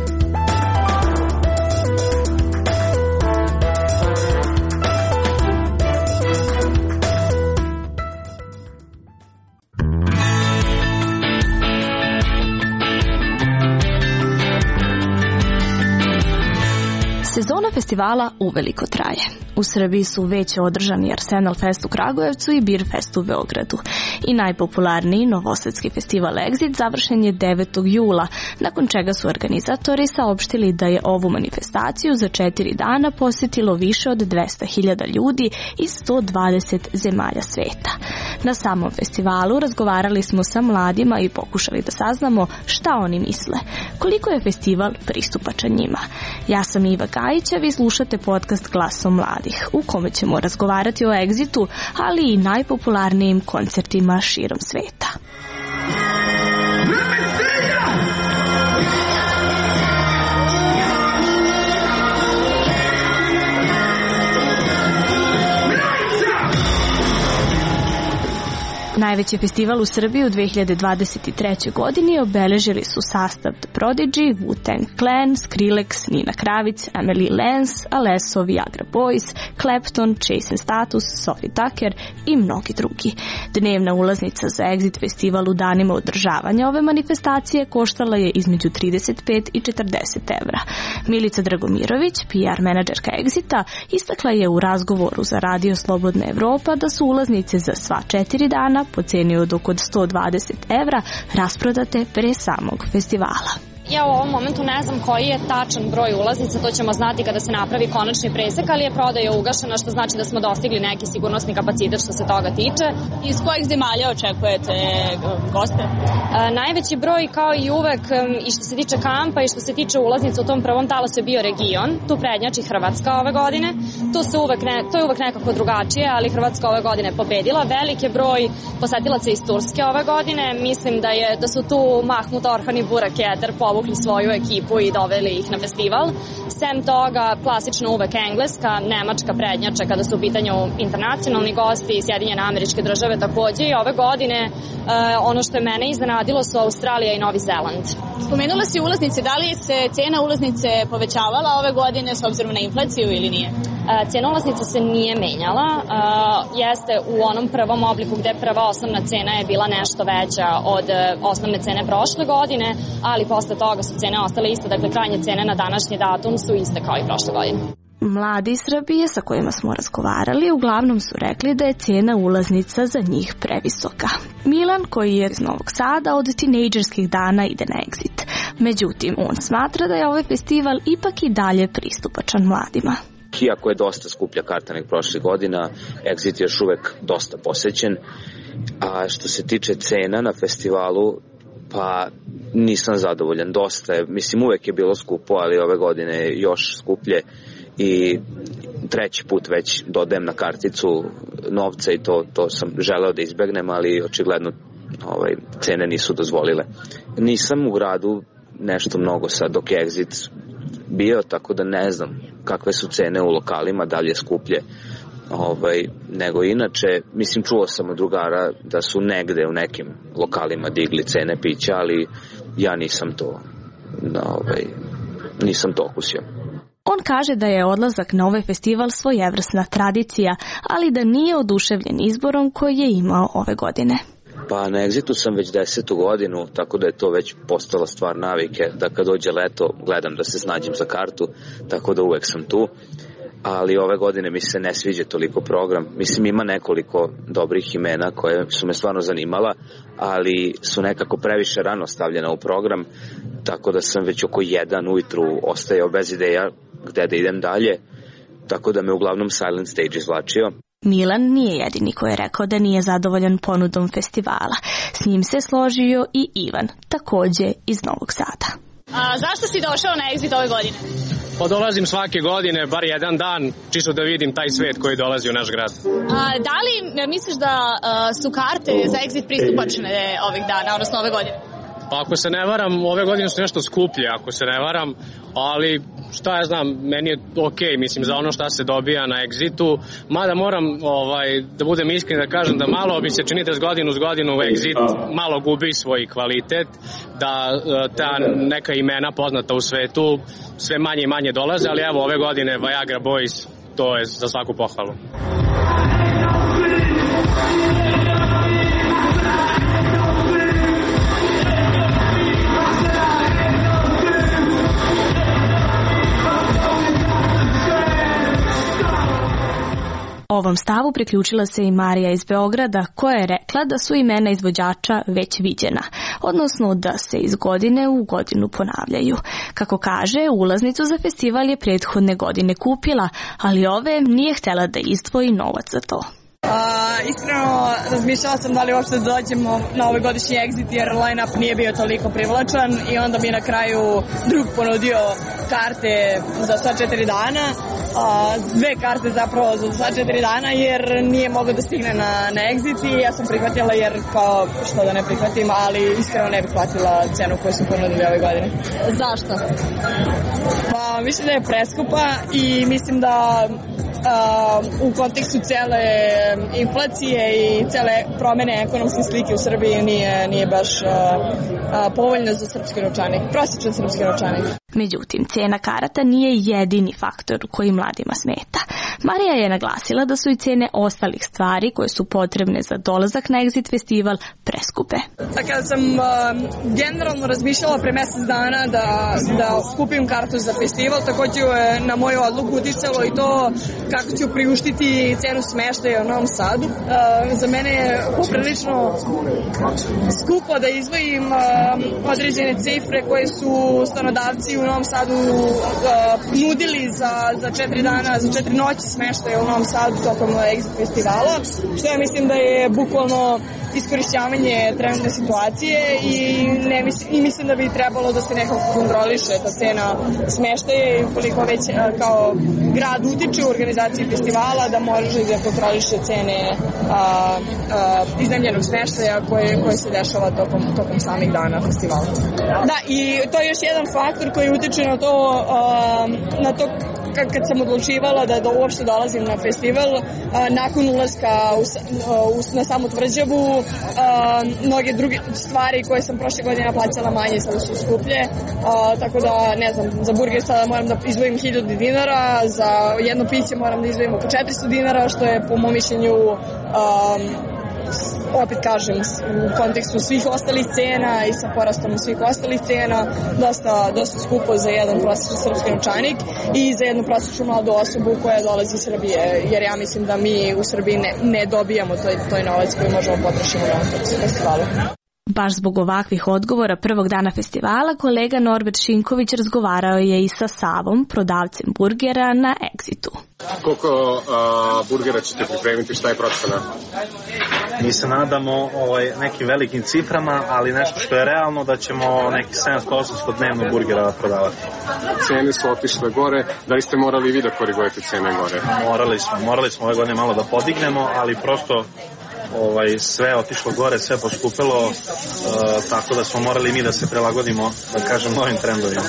Sezona festivala uveliko traje. U Srbiji su već održani Arsenal Fest u Kragujevcu i Beer Fest u Beogradu. I najpopularniji novosadski festival Exit završen je 9. jula, nakon čega su organizatori saopštili da je ovu manifestaciju za 4 dana posjetilo više od 200.000 ljudi iz 120 zemalja sveta. Na samom festivalu razgovarali smo sa mladima i pokušali da saznamo šta oni misle, koliko je festival pristupačan njima. Ja sam Iva Gajića, vi slušate podcast Glasom mladih, u kome ćemo razgovarati o Exitu, ali i najpopularnijim koncertima širom sveta. Najveći festival u Srbiji u 2023. godini obeležili su sastav The Prodigy, Wu-Tang Clan, Skrillex, Nina Kravic, Emily Lance, Alesso, Viagra Boys, Clapton, Chase & Status, Sophie Tucker i mnogi drugi. Dnevna ulaznica za Exit festival u danima održavanja ove manifestacije koštala je između 35 i 40 evra. Milica Dragomirović, PR menadžerka Exita, istakla je u razgovoru za Radio Slobodna Evropa da su ulaznice za sva 4 dana po ceni od oko 120 evra rasprodate pre samog festivala. Ja u ovom momentu ne znam koji je tačan broj ulaznica, to ćemo znati kada se napravi konačni presek, ali je prodaja ugašena, što znači da smo dostigli neki sigurnosni kapacitet što se toga tiče. Iz kojih zemalja očekujete goste? Najveći broj, kao i uvek, i što se tiče kampa i što se tiče ulaznica u tom prvom talasu je bio region, tu prednjači Hrvatska ove godine. To je uvek nekako drugačije, ali Hrvatska ove godine pobedila. Velik je broj posetilaca iz Turske ove godine. Mislim da su tu Mahmut Orhan i Burak Eder povukli svoju ekipu i doveli ih na festival. Sem toga, klasično uvek Engleska, Nemačka prednjače kada su u pitanju internacionalni gosti i Sjedinjene Američke Države takođe. I ove godine ono što je mene iznenadilo su Australija i Novi Zeland. Spomenula si ulaznice, da li se cena ulaznice povećavala ove godine s obzirom na inflaciju ili nije? Cena ulaznica se nije menjala, jeste u onom prvom obliku gde prva osnovna cena je bila nešto veća od osnovne cene prošle godine, ali posle toga su cene ostale iste, dakle krajnje cene na današnji datum su iste kao i prošle godine. Mladi iz Srbije sa kojima smo razgovarali uglavnom su rekli da je cena ulaznica za njih previsoka. Milan, koji je iz Novog Sada, od tinejdžerskih dana ide na Exit. Međutim, on smatra da je ovaj festival ipak i dalje pristupačan mladima. Iako je dosta skuplja karta nek prošle godina, Exit je još uvek dosta posećen. A što se tiče cena na festivalu, pa nisam zadovoljan. Dosta je, mislim uvek je bilo skupo, ali ove godine još skuplje i treći put već dodajem na karticu novca i to sam želeo da izbegnem, ali očigledno cene nisu dozvolile. Nisam u gradu nešto mnogo sad dok je Exit bio, tako da ne znam kakve su cene u lokalima, da li je skuplje nego inače. Mislim, čuo sam od drugara da su negde u nekim lokalima digli cene pića, ali ja nisam to okusio. On kaže da je odlazak na ovaj festival svojevrsna tradicija, ali da nije oduševljen izborom koji je imao ove godine. Pa na Exitu sam već 10. godinu, tako da je to već postala stvar navike, da kad dođe leto gledam da se snađem za kartu, tako da uvek sam tu. Ali ove godine mi se ne sviđa toliko program. Mislim, ima nekoliko dobrih imena koje su me stvarno zanimala, ali su nekako previše rano stavljena u program, tako da sam već oko 1 ujutru ostajao bez ideja gde da idem dalje tako da me uglavnom Silent Stage izvlačio. Milan nije jedini koji je rekao da nije zadovoljan ponudom festivala. S njim se složio i Ivan, takođe iz Novog Sada. Zašto si došao na Exit ove godine? Pa dolazim svake godine, bar jedan dan, čisto da vidim taj svet koji dolazi u naš grad. Da li misliš da su karte za Exit pristupačne ovih dana, odnosno ove godine? Pa ako se ne varam, ove godine su nešto skuplje, ako se ne varam, ali šta ja znam, meni je okej, mislim, za ono šta se dobija na Exitu, mada moram da budem iskren da kažem da malo mi se čini da s godinu Exit malo gubi svoj kvalitet, da ta neka imena poznata u svetu sve manje i manje dolaze, ali evo ove godine Viagra Boys, to je za svaku pohvalu. Ovom stavu priključila se i Marija iz Beograda, koja je rekla da su imena izvođača već viđena, odnosno da se iz godine u godinu ponavljaju. Kako kaže, ulaznicu za festival je prethodne godine kupila, ali ove nije htjela da izdvoji novac za to. Iskreno razmišljala sam da li uopšte dođemo na ovaj godišnji Exit jer line-up nije bio toliko privlačan i onda mi na kraju drug ponudio karte za sva 4 dana, 2 karte zapravo za sva 4 dana jer nije mogao da stigne na Exit i ja sam prihvatila jer kao što da ne prihvatim, ali iskreno ne bih platila cenu koju su ponudili ove godine. Zašto? Pa mislim da je preskupa i mislim da u kontekstu cele inflacije i cele promene ekonomske slike u Srbiji nije baš povoljno za srpski novčanik, prosječan srpski novčanik. Međutim, cena karata nije jedini faktor koji mladima smeta. Marija je naglasila da su i cene ostalih stvari koje su potrebne za dolazak na Exit festival preskupe. Kada sam generalno razmišljala pre mesec dana da kupim kartu za festival, takođe je na moju odluku uticalo i to kako ću priuštiti cenu smeštaja u Novom Sadu. Za mene je poprilično skupo da izdvojim određene cifre koje su stanodavci u Novom Sadu nudili za 4 dana, za 4 noći smeštaja u Novom Sadu tokom Exit festivala, što ja mislim da je bukvalno iskorišćavanje trenutne situacije i mislim da bi trebalo da se nekako kontroliše ta cena smeštaja i ukoliko već kao grad utiče u organizaciji festivala da može da kontroliše cene iznajmljenog smeštaja koje se dešava tokom samih dana festivala. Da, i to je još jedan faktor koji utiče na to kad sam odlučivala da uopšte dolazim na festival, nakon ulaska na samu tvrđavu, mnoge druge stvari koje sam prošle godine plaćala manje sada su skuplje, tako da ne znam, za burger sada moram da izdvojim 1000 dinara, za jedno piće moram da izdvojim oko 400 dinara, što je po mom mišljenju opet kažem, u kontekstu svih ostalih cena i sa porastom svih ostalih cena, dosta skupo za jedan prosječan srpski novčanik i za jednu prosječnu mladu osobu koja dolazi iz Srbije, jer ja mislim da mi u Srbiji ne dobijamo toj novac koji možemo potrošiti na ovom festivalu. Baš zbog ovakvih odgovora prvog dana festivala, kolega Norbert Šinković razgovarao je i sa Savom, prodavcem burgera na Exitu. Koliko burgera ćete pripremiti, šta je procena? Mi se nadamo nekim velikim ciframa, ali nešto što je realno da ćemo neki 700-800 dnevno burgera prodavati. Cene su otišle gore, da li ste morali vi da korigujete cene gore? Morali smo ove godine malo da podignemo, ali prosto sve otišlo gore, sve poskupilo, tako da smo morali mi da se prilagodimo, da kažem, novim trendovima.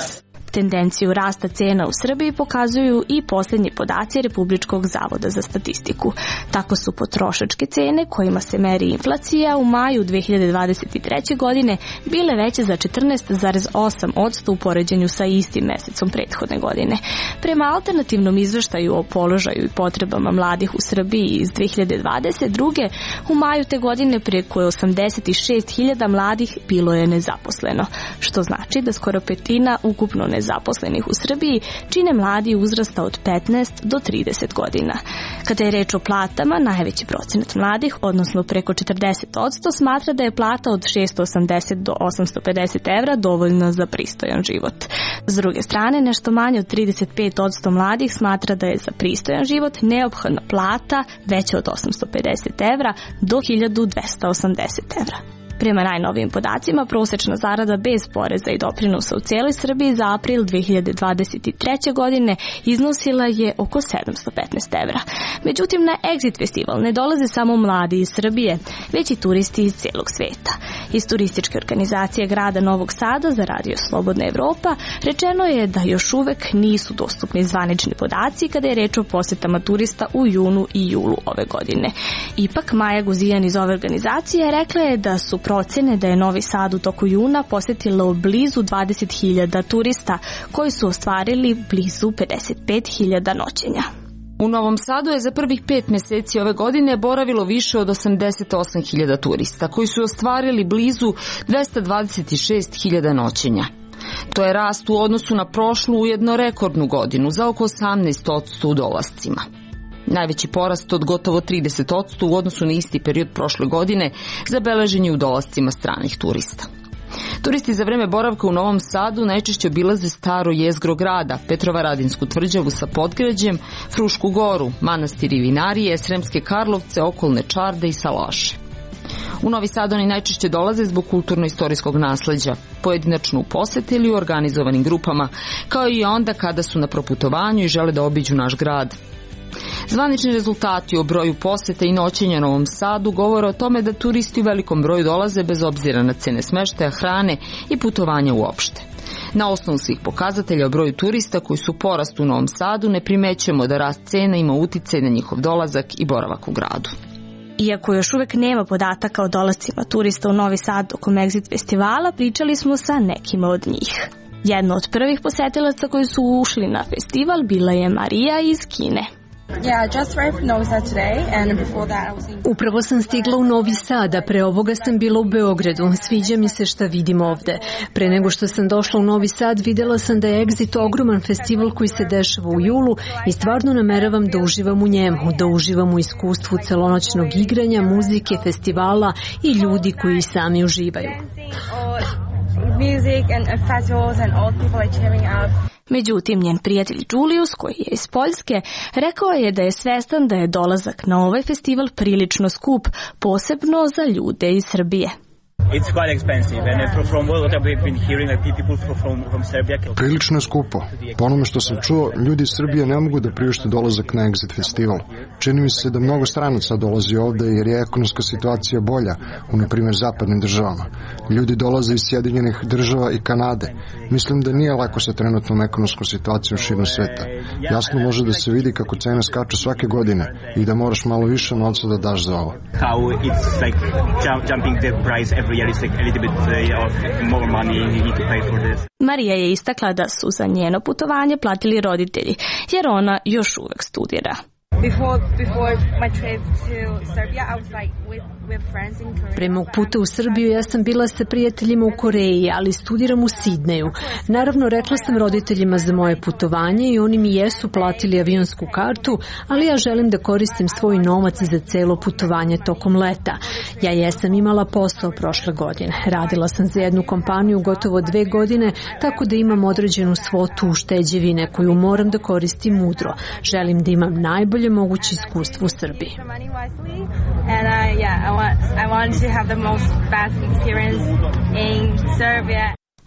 Tendenciju rasta cena u Srbiji pokazuju i posljednji podaci Republičkog zavoda za statistiku. Tako su potrošačke cene kojima se meri inflacija u maju 2023. godine bile veće za 14,8% u poređenju sa istim mesecom prethodne godine. Prema alternativnom izveštaju o položaju i potrebama mladih u Srbiji iz 2022. u maju te godine preko 86.000 mladih bilo je nezaposleno, što znači da skoro petina ukupno nezaposleno zaposlenih u Srbiji čine mladi uzrasta od 15 do 30 godina. Kada je reč o platama, najveći procenat mladih, odnosno preko 40%, smatra da je plata od 680 do 850 evra dovoljna za pristojan život. S druge strane, nešto manje od 35% mladih smatra da je za pristojan život neophodna plata veća od 850 evra do 1280 evra. Prema najnovijim podacima, prosečna zarada bez poreza i doprinosa u cijeloj Srbiji za april 2023. godine iznosila je oko 715 evra. Međutim, na Exit festival ne dolaze samo mladi iz Srbije, već i turisti iz cijelog sveta. Iz turističke organizacije grada Novog Sada za Radio Slobodna Evropa rečeno je da još uvek nisu dostupni zvanični podaci kada je reč o posetama turista u junu i julu ove godine. Ipak, Maja Guzijan iz ove organizacije rekla je da su procene da je Novi Sad u toku juna posetilo blizu 20.000 turista koji su ostvarili blizu 55.000 noćenja. U Novom Sadu je za prvih 5 mjeseci ove godine boravilo više od 88.000 turista koji su ostvarili blizu 226.000 noćenja. To je rast u odnosu na prošlu ujedno rekordnu godinu za oko 18% u dolascima. Najveći porast od gotovo 30% u odnosu na isti period prošle godine zabeležen je u dolascima stranih turista. Turisti za vreme boravka u Novom Sadu najčešće obilaze staro jezgro grada, Petrovaradinsku tvrđavu sa Podgrađem, Frušku goru, manastir i vinarije, Sremske Karlovce, okolne Čarde i Salaše. U Novi Sad oni najčešće dolaze zbog kulturno-istorijskog nasleđa, pojedinačno u poseti ili u organizovanim grupama, kao i onda kada su na proputovanju i žele da obiđu naš grad. Zvanični rezultati o broju poseta i noćenja Novom Sadu govore o tome da turisti u velikom broju dolaze bez obzira na cene smeštaja, hrane i putovanja uopšte. Na osnovu svih pokazatelja o broju turista koji su u porastu u Novom Sadu ne primećujemo da rast cena ima uticaj na njihov dolazak i boravak u gradu. Iako još uvek nema podataka o dolascima turista u Novi Sad tokom Exit festivala, pričali smo sa nekima od njih. Jedna od prvih posetilaca koji su ušli na festival bila je Marija iz Kine. Upravo sam stigla u Novi Sad, a pre ovoga sam bila u Beogradu. Sviđa mi se šta vidim ovde. Pre nego što sam došla u Novi Sad, videla sam da je Exit ogroman festival koji se dešava u julu i stvarno nameravam da uživam u njemu, da uživam u iskustvu celonoćnog igranja, muzike, festivala i ljudi koji sami uživaju. Međutim, njen prijatelj Julius, koji je iz Poljske, rekao je da je svestan da je dolazak na ovaj festival prilično skup, posebno za ljude iz Srbije. Prilično je skupo. Po onome što sam čuo, ljudi iz Srbije ne mogu da priušte dolazak na Exit festival. Čini mi se da mnogo stranaca dolazi ovde jer je ekonomska situacija bolja u, na primjer, zapadnim državama. Ljudi dolaze iz Sjedinjenih država i Kanade. Mislim da nije lako sa trenutnom ekonomskom situacijom širom sveta. Jasno može da se vidi kako cene skaču svake godine i da moraš malo više novca da daš za ovo. Marija je istakla da su za njeno putovanje platili roditelji, jer ona još uvek studira. Pre mog puta u Srbiju ja sam bila sa prijateljima u Koreji, ali studiram u Sidneju. Naravno, rekla sam roditeljima za moje putovanje i oni mi jesu platili avionsku kartu, ali ja želim da koristim svoj novac za celo putovanje tokom leta. Ja jesam imala posao prošle godine. Radila sam za jednu kompaniju gotovo 2 godine, tako da imam određenu svotu ušteđevine koju moram da koristim mudro. Želim da imam najbolje moguće iskustvo u Srbiji.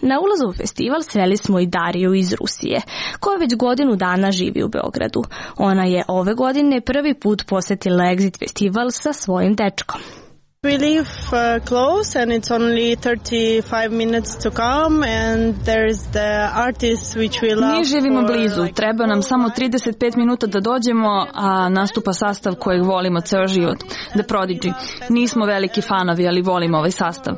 Na ulazu u festival sreli smo i Dariju iz Rusije, koja već godinu dana živi u Beogradu. Ona je ove godine prvi put posjetila Exit festival sa svojim dečkom. We live close and it's only 35 minutes to come and there's the artists which we love. Mi živimo blizu, treba nam samo 35 minuta da dođemo, a nastupa sastav kojeg volimo ceo život, The Prodigy. Nismo veliki fanovi, ali volimo ovaj sastav.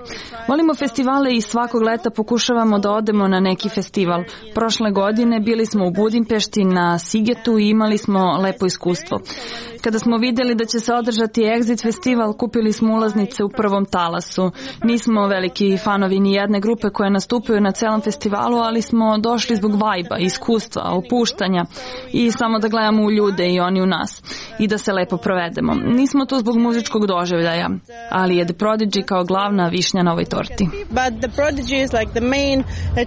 Volimo festivale i svakog leta pokušavamo da odemo na neki festival. Prošle godine bili smo u Budimpešti na Sigetu i imali smo lepo iskustvo. Kada smo vidjeli da će se održati Exit festival, kupili smo ulaz ulaznice u prvom talasu. Nismo veliki fanovi ni jedne grupe koje nastupaju na celom festivalu, ali smo došli zbog vajba, iskustva, opuštanja i samo da gledamo u ljude i oni u nas i da se lepo provedemo. Nismo tu zbog muzičkog doživljaja, ali je The Prodigy kao glavna višnja na ovoj torti. But The Prodigy is like the main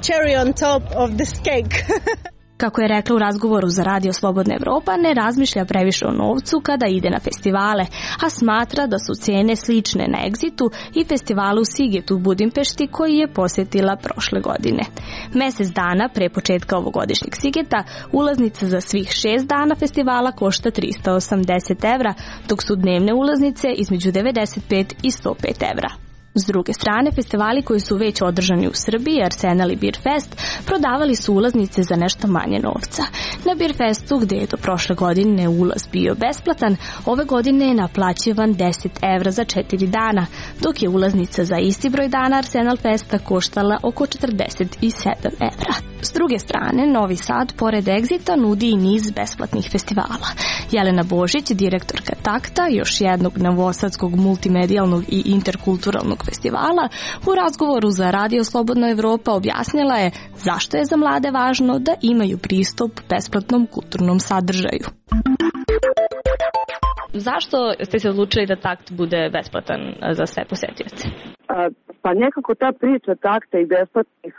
cherry on top of this cake. Kako je rekla u razgovoru za Radio Slobodna Evropa, ne razmišlja previše o novcu kada ide na festivale, a smatra da su cene slične na Exitu i festivalu Siget u Budimpešti koji je posjetila prošle godine. Mesec dana pre početka ovogodišnjeg Sigeta ulaznica za svih 6 dana festivala košta 380 evra, dok su dnevne ulaznice između 95 i 105 evra. S druge strane, festivali koji su već održani u Srbiji, Arsenal i Beer Fest, prodavali su ulaznice za nešto manje novca. Na Beer Festu, gde je do prošle godine ulaz bio besplatan, ove godine je naplaćivan 10 evra za 4 dana, dok je ulaznica za isti broj dana Arsenal Festa koštala oko 47 evra. S druge strane, Novi Sad, pored Exita, nudi i niz besplatnih festivala. Jelena Božić, direktorka Takta, još jednog novosadskog multimedijalnog i interkulturalnog festivala, u razgovoru za Radio Slobodna Evropa objasnila je zašto je za mlade važno da imaju pristup besplatnom kulturnom sadržaju. Zašto ste se odlučili da Takt bude besplatan za sve posetioce? Pa nekako ta priča Takta i besplatnih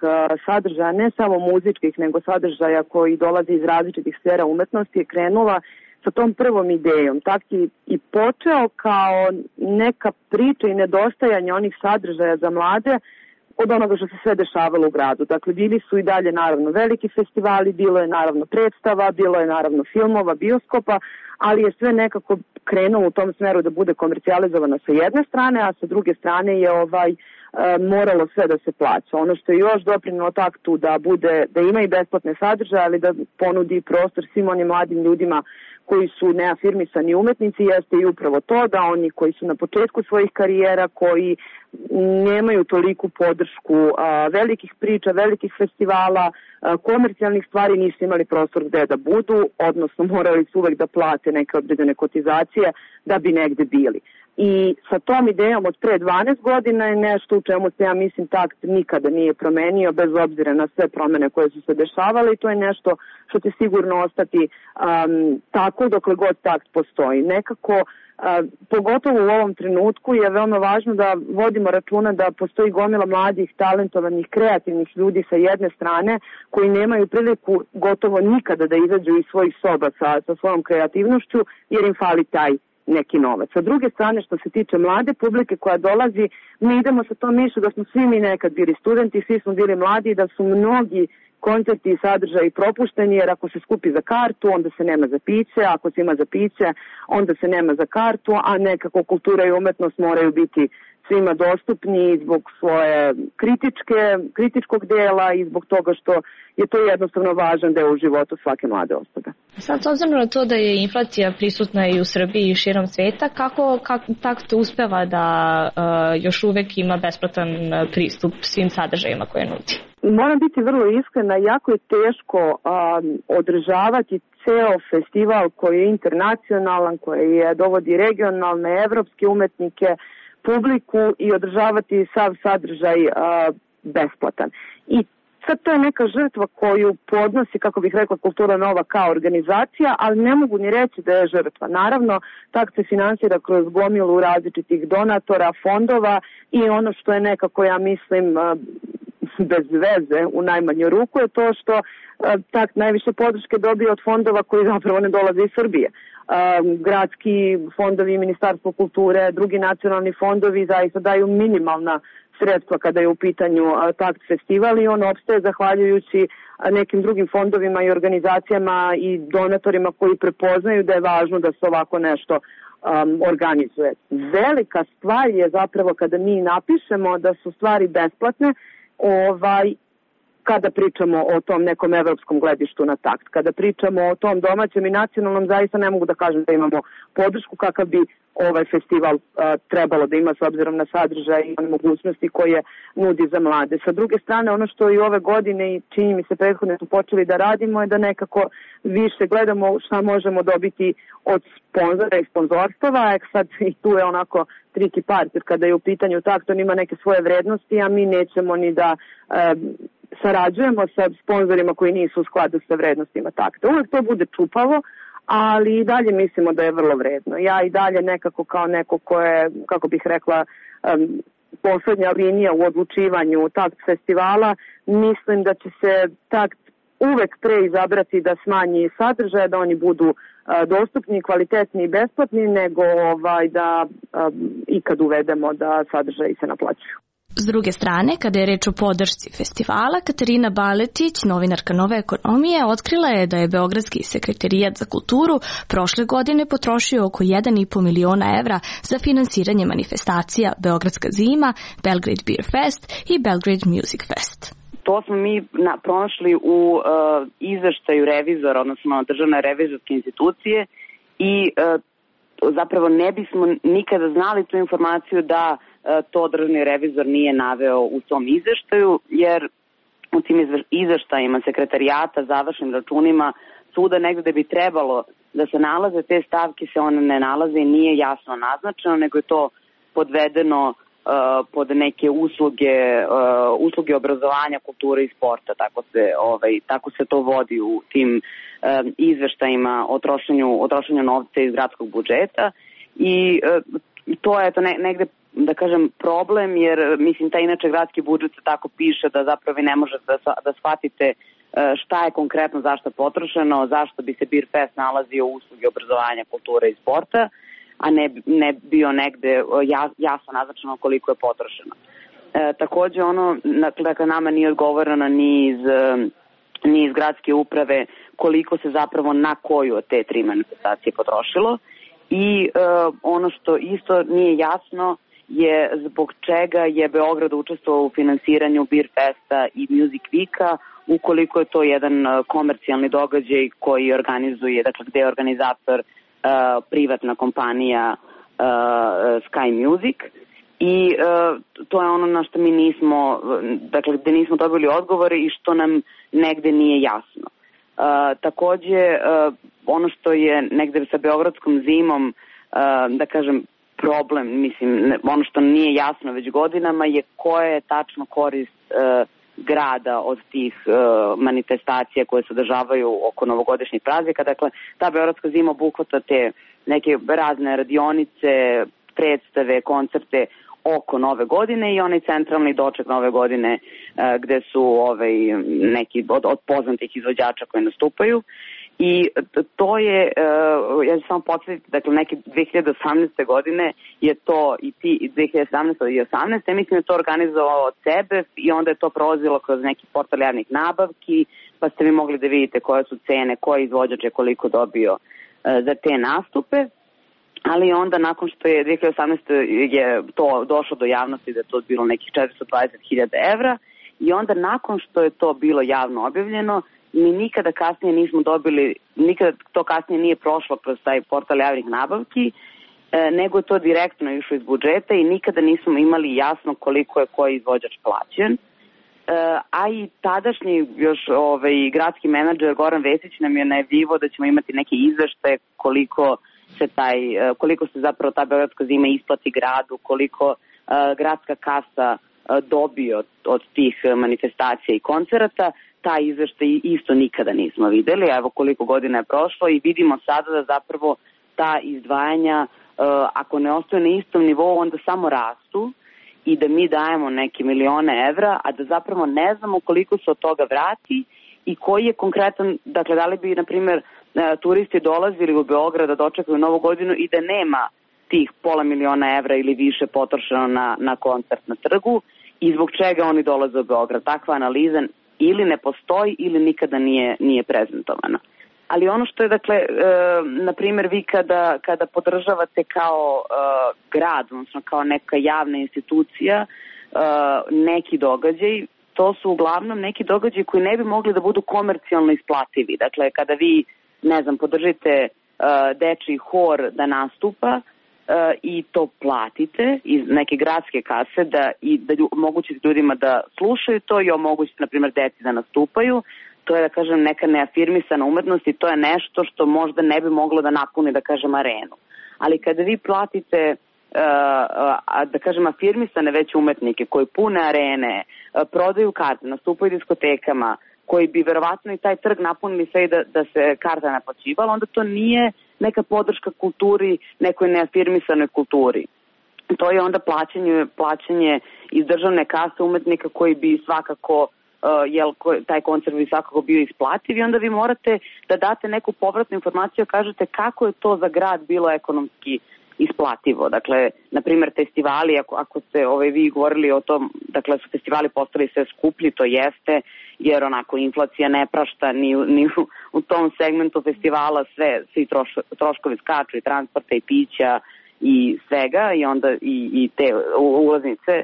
sadržaja, ne samo muzičkih, nego sadržaja koji dolaze iz različitih sfera umetnosti, je krenula sa tom prvom idejom. Takt je i počeo kao neka priča i nedostajanje onih sadržaja za mlade od onoga što se sve dešavalo u gradu. Dakle, bili su i dalje naravno veliki festivali, bilo je naravno predstava, bilo je naravno filmova, bioskopa, ali je sve nekako krenulo u tom smeru da bude komercijalizovano sa jedne strane, a sa druge strane je moralo sve da se plaća. Ono što je još doprinelo Taktu da ima i besplatne sadržaje, ali da ponudi prostor svim onim mladim ljudima koji su neafirmisani umetnici, jeste i upravo to da oni koji su na početku svojih karijera, koji nemaju toliku podršku velikih priča, velikih festivala, komercijalnih stvari, nisu imali prostor gde da budu, odnosno morali su uvek da plate neke određene kotizacije da bi negde bili. I sa tom idejom od pre 12 godina je nešto u čemu se, ja mislim, Takt nikada nije promenio, bez obzira na sve promene koje su se dešavale, i to je nešto što će sigurno ostati tako dokle god Takt postoji. Nekako, pogotovo u ovom trenutku, je veoma važno da vodimo računa da postoji gomila mladih, talentovanih, kreativnih ljudi sa jedne strane koji nemaju priliku gotovo nikada da izađu iz svojih soba sa svojom kreativnošću, jer im fali taj neki novac. Sa druge strane, što se tiče mlade publike koja dolazi, mi idemo sa tom mišlju da smo svi mi nekad bili studenti, svi smo bili mladi i da su mnogi koncerti i sadržaji propušteni, jer ako se skupi za kartu, onda se nema za piće, ako se ima za piće, onda se nema za kartu, a nekako kultura i umetnost moraju biti svima dostupni zbog svoje kritičkog dela i zbog toga što je to jednostavno važan deo u životu svake mlade osobe. Sad, s obzirom na to da je inflacija prisutna i u Srbiji i širom sveta, kako Takt uspeva da još uvek ima besplatan pristup svim sadržajima koje nudi? Moram biti vrlo iskrena, jako je teško održavati ceo festival koji je internacionalan, koji dovodi regionalne, evropske umetnike, publiku, i održavati sav sadržaj besplatan. I sad to je neka žrtva koju podnosi, kako bih rekla, Kultura Nova kao organizacija, ali ne mogu ni reći da je žrtva. Naravno, Takt se finansira kroz gomilu različitih donatora, fondova, i ono što je nekako, ja mislim, bez veze u najmanju ruku, je to što Takt najviše podrške dobije od fondova koji zapravo ne dolaze iz Srbije. Gradski fondovi, Ministarstvo kulture, drugi nacionalni fondovi zaista daju minimalna sredstva kada je u pitanju Takt festival, i on opstaje zahvaljujući nekim drugim fondovima i organizacijama i donatorima koji prepoznaju da je važno da se ovako nešto organizuje. Velika stvar je zapravo kada mi napišemo da su stvari besplatne, kada pričamo o tom nekom evropskom gledištu na Takt. Kada pričamo o tom domaćem i nacionalnom, zaista ne mogu da kažem da imamo podršku kakav bi ovaj festival trebalo da ima s obzirom na sadržaj i mogućnosti koje nudi za mlade. Sa druge strane, ono što i ove godine, i čini mi se prethodne su počeli da radimo, je da nekako više gledamo šta možemo dobiti od sponzora i sponzorstava. Sad i tu je onako triki part, jer kada je u pitanju takt, on ima neke svoje vrednosti, a mi nećemo ni da sarađujemo sa sponzorima koji nisu u skladu sa vrednostima takta. Uvek to bude čupavo, ali i dalje mislimo da je vrlo vredno. Ja i dalje nekako kao neko ko je, kako bih rekla, poslednja linija u odlučivanju takt festivala, mislim da će se takt uvek pre izabrati da smanji sadržaje, da oni budu dostupni, kvalitetni i besplatni, nego da ikad uvedemo da sadržaji se naplaćuju. S druge strane, kada je reč o podršci festivala, Katarina Baletić, novinarka Nove ekonomije, otkrila je da je Beogradski sekretarijat za kulturu prošle godine potrošio oko 1,5 miliona evra za finansiranje manifestacija Beogradska zima, Belgrade Beer Fest i Belgrade Music Fest. To smo mi pronašli u izveštaju revizora, odnosno državne revizorske institucije i zapravo ne bismo nikada znali tu informaciju da to državni revizor nije naveo u tom izveštaju, jer u tim izveštajima sekretarijata, završnim računima, svuda negde da bi trebalo da se nalaze te stavke, se one ne nalaze i nije jasno naznačeno, nego je to podvedeno pod neke usluge obrazovanja, kulture i sporta, tako se to vodi u tim izveštajima o trošenju novca iz gradskog budžeta i to je negde, da kažem, problem, jer mislim taj inače gradski budžet se tako piše da zapravo vi ne možete da shvatite šta je konkretno zašto potrošeno, zašto bi se Beer Fest nalazio u usluge obrazovanja, kulture i sporta, a ne bio negde jasno naznačeno koliko je potrošeno. Takođe dakle, nama nije odgovoreno ni iz gradske uprave koliko se zapravo na koju od te 3 manifestacije potrošilo i ono što isto nije jasno je zbog čega je Beograd učestvovao u finansiranju Beer Festa i Music Weeka, ukoliko je to jedan komercijalni događaj koji organizuje, dakle gde je organizator privatna kompanija Sky Music i to je ono na što mi nismo, dakle gde nismo dobili odgovore i što nam negde nije jasno. Takođe, ono što je negde sa Beogradskom zimom, da kažem, problem, mislim, ono što nije jasno već godinama je koja je tačno korist grada od tih manifestacija koje se održavaju oko novogodišnjih praznika. Dakle, ta Beogradska zima obuhvata te neke razne radionice, predstave, koncerte oko Nove godine i onaj centralni doček Nove godine gde su neki od poznatih izvođača koji nastupaju. I to je, ja ću samo podsjetiti, dakle neke 2018. godine je to i 2017. i 2018. Mislim je to organizovao od sebe i onda je to prolazilo kroz neki portal javnih nabavki, pa ste vi mogli da vidite koje su cene, koji izvođač je koliko dobio za te nastupe. Ali onda nakon što je 2018. je to došlo do javnosti da je to bilo nekih 420.000 evra i onda nakon što je to bilo javno objavljeno, mi nikada kasnije nismo dobili, nikada to kasnije nije prošlo kroz taj portal javnih nabavki, nego je to direktno išlo iz budžeta i nikada nismo imali jasno koliko je koji izvođač plaćen. A i tadašnji još gradski menadžer Goran Vesić nam je najavljivao da ćemo imati neke izveštaje koliko se zapravo ta Beogradska zima isplati gradu, koliko gradska kasa dobio od tih manifestacija i koncerata. Ta izveštaj isto nikada nismo videli, evo koliko godina je prošlo i vidimo sada da zapravo ta izdvajanja, ako ne ostaju na istom nivou, onda samo rastu i da mi dajemo neke milione evra, a da zapravo ne znamo koliko se od toga vrati i koji je konkretan, dakle da li bi, na primjer, turisti dolazili u Beograd da dočekaju Novu godinu i da nema tih $500.000 evra ili više potrošeno na koncert na trgu i zbog čega oni dolaze u Beograd. Takva analiza ili ne postoji ili nikada nije prezentovana. Ali ono što je, dakle, na primjer, vi kada podržavate kao grad, odnosno kao neka javna institucija, neki događaj, to su uglavnom neki događaji koji ne bi mogli da budu komercijalno isplativi. Dakle, kada vi, ne znam, podržite dečiji hor da nastupa i to platite iz neke gradske kase da omogućite ljudima da slušaju to i omogućite, na primjer, deci da nastupaju, to je, da kažem, neka neafirmisana umetnost i to je nešto što možda ne bi moglo da napuni, da kažem, arenu. Ali kada vi platite da kažem, afirmisane već umetnike koji pune arene, prodaju karte, nastupaju diskotekama, koji bi verovatno i taj trg napunili sve i da se karta naplaćivala, onda to nije neka podrška kulturi, nekoj neafirmisanoj kulturi. To je onda plaćanje iz državne kase umetnika koji bi svakako, taj koncert bi svakako bio isplativ i onda vi morate da date neku povratnu informaciju, kažete kako je to za grad bilo ekonomski isplativo. Dakle, na primjer, festivali, ako ste vi govorili o tom, dakle, su festivali postali sve skuplji, to jeste, jer onako inflacija ne prašta ni u tom segmentu festivala, svi troškovi skaču i transporta i pića i svega i onda i te ulaznice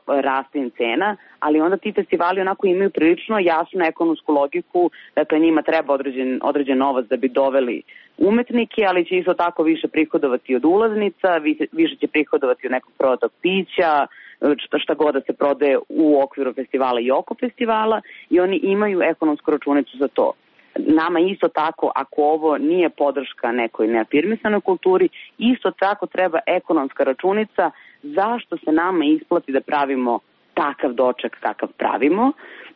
raste im cena, ali onda ti festivali onako imaju prilično jasnu ekonomsku logiku, dakle njima treba određen novac da bi doveli umetnike, ali će isto tako više prihodovati od ulaznica, više će prihodovati od nekog prodatog pića, šta god da se prodaje u okviru festivala i oko festivala i oni imaju ekonomsku računicu za to. Nama isto tako, ako ovo nije podrška nekoj neafirmisanoj kulturi, isto tako treba ekonomska računica zašto se nama isplati da pravimo takav doček kakav pravimo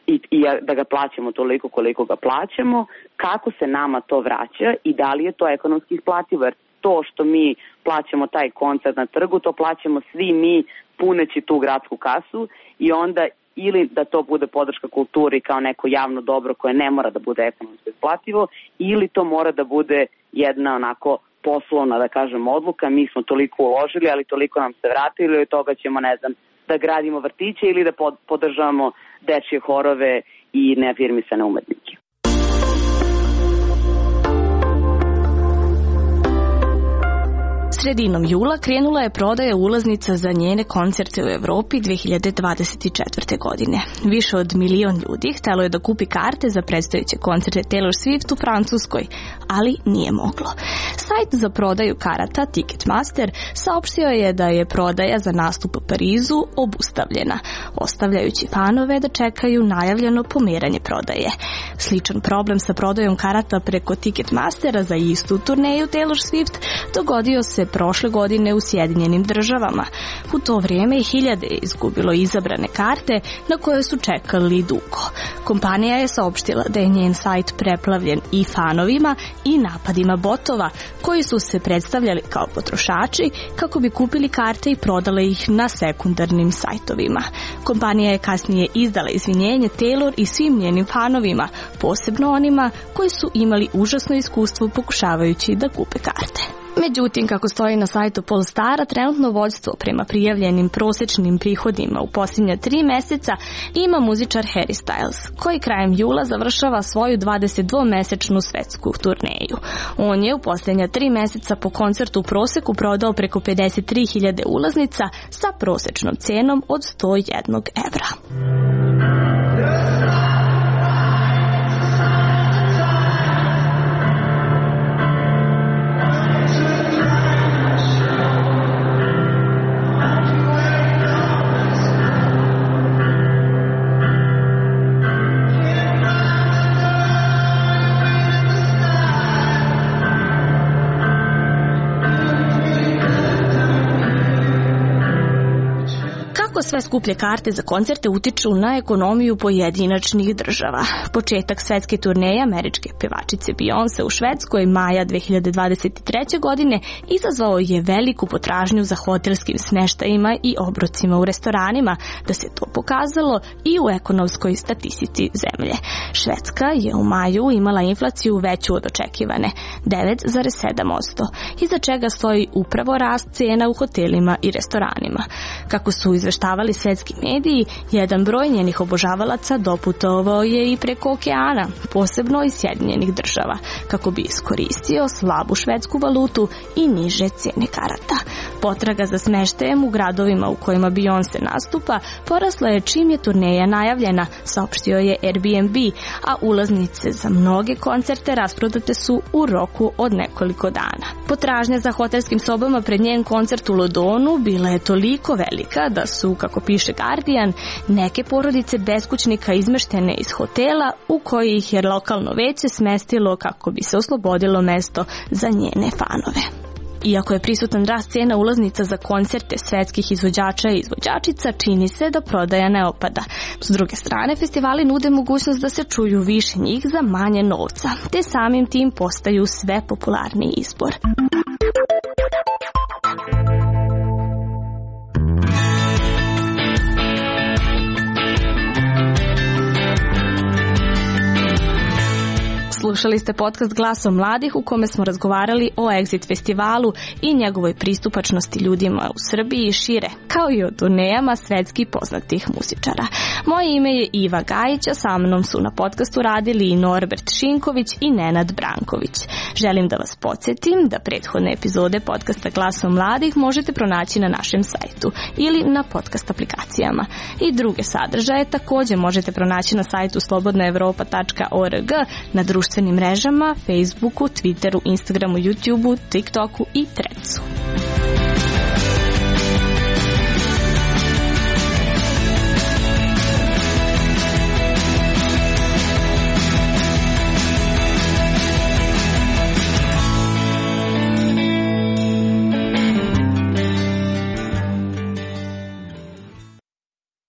i da ga plaćamo toliko koliko ga plaćamo, kako se nama to vraća i da li je to ekonomski isplativo, jer to što mi plaćamo taj koncert na trgu, to plaćamo svi mi puneći tu gradsku kasu i onda ili da to bude podrška kulturi kao neko javno dobro koje ne mora da bude ekonomski isplativo, ili to mora da bude jedna onako poslovna, da kažem, odluka, mi smo toliko uložili, ali toliko nam se vratilo i od toga ćemo, ne znam, da gradimo vrtiće ili da podržavamo dečje horove i neafirmisane umetnike. Sredinom jula krenula je prodaja ulaznica za njene koncerte u Evropi 2024. godine. Više od 1 milion ljudi htelo je da kupi karte za predstojeće koncerte Taylor Swift u Francuskoj, ali nije moglo. Sajt za prodaju karata Ticketmaster saopštio je da je prodaja za nastup u Parizu obustavljena, ostavljajući fanove da čekaju najavljeno pomeranje prodaje. Sličan problem sa prodajom karata preko Ticketmastera za istu turneju Taylor Swift dogodio se prošle godine u Sjedinjenim Državama. U to vrijeme hiljade je izgubilo izabrane karte na koje su čekali dugo. Kompanija je saopštila da je njen sajt preplavljen i fanovima i napadima botova koji su se predstavljali kao potrošači kako bi kupili karte i prodale ih na sekundarnim sajtovima. Kompanija je kasnije izdala izvinjenje Taylor i svim njenim fanovima, posebno onima koji su imali užasno iskustvo pokušavajući da kupe karte. Međutim, kako stoji na sajtu Polstara, trenutno vođstvo prema prijavljenim prosječnim prihodima u posljednja 3 mjeseca ima muzičar Harry Styles, koji krajem jula završava svoju 22-mesečnu svetsku turneju. On je u posljednja 3 mjeseca po koncertu u proseku prodao preko 53.000 ulaznica sa prosječnom cenom od 101 evra. Sve skuplje karte za koncerte utiču na ekonomiju pojedinačnih država. Početak svetske turneje američke pevačice Beyoncé u Švedskoj maja 2023. godine izazvao je veliku potražnju za hotelskim smještajima i obrocima u restoranima, da se to pokazalo i u ekonomskoj statistici zemlje. Švedska je u maju imala inflaciju veću od očekivane, 9,7%, iza čega stoji upravo rast cena u hotelima i restoranima. Kako su izveštavali svetski mediji, jedan broj njenih obožavalaca doputovao je i preko okeana, posebno iz Sjedinjenih Država, kako bi iskoristio slabu švedsku valutu i niže cijene karata. Potraga za smeštajem u gradovima u kojima Beyoncé nastupa porasla je čim je turneja najavljena, saopštio je Airbnb, a ulaznice za mnoge koncerte rasprodate su u roku od nekoliko dana. Potražnja za hotelskim sobama pred njen koncert u Londonu bila je toliko velika da su, kako piše Guardian, neke porodice beskućnika izmeštene iz hotela u koji ih je lokalno veće smestilo kako bi se oslobodilo mesto za njene fanove. Iako je prisutan rast cijena ulaznica za koncerte svetskih izvođača i izvođačica, čini se da prodaja ne opada. S druge strane, festivali nude mogućnost da se čuju više njih za manje novca, te samim tim postaju sve popularniji izbor. Slušali ste podcast Glasom mladih u kome smo razgovarali o Exit festivalu i njegovoj pristupačnosti ljudima u Srbiji i šire, kao i o turnejama svetski poznatih muzičara. Moje ime je Iva Gajić, a sa mnom su na podcastu radili i Norbert Šinković i Nenad Branković. Želim da vas podsjetim da prethodne epizode podcasta Glasom mladih možete pronaći na našem sajtu ili na podcast aplikacijama. I druge sadržaje također možete pronaći na sajtu slobodnaevropa.org, na društvenim mrežama, Facebooku, Twitteru, Instagramu, YouTubeu, TikToku i Threadsu.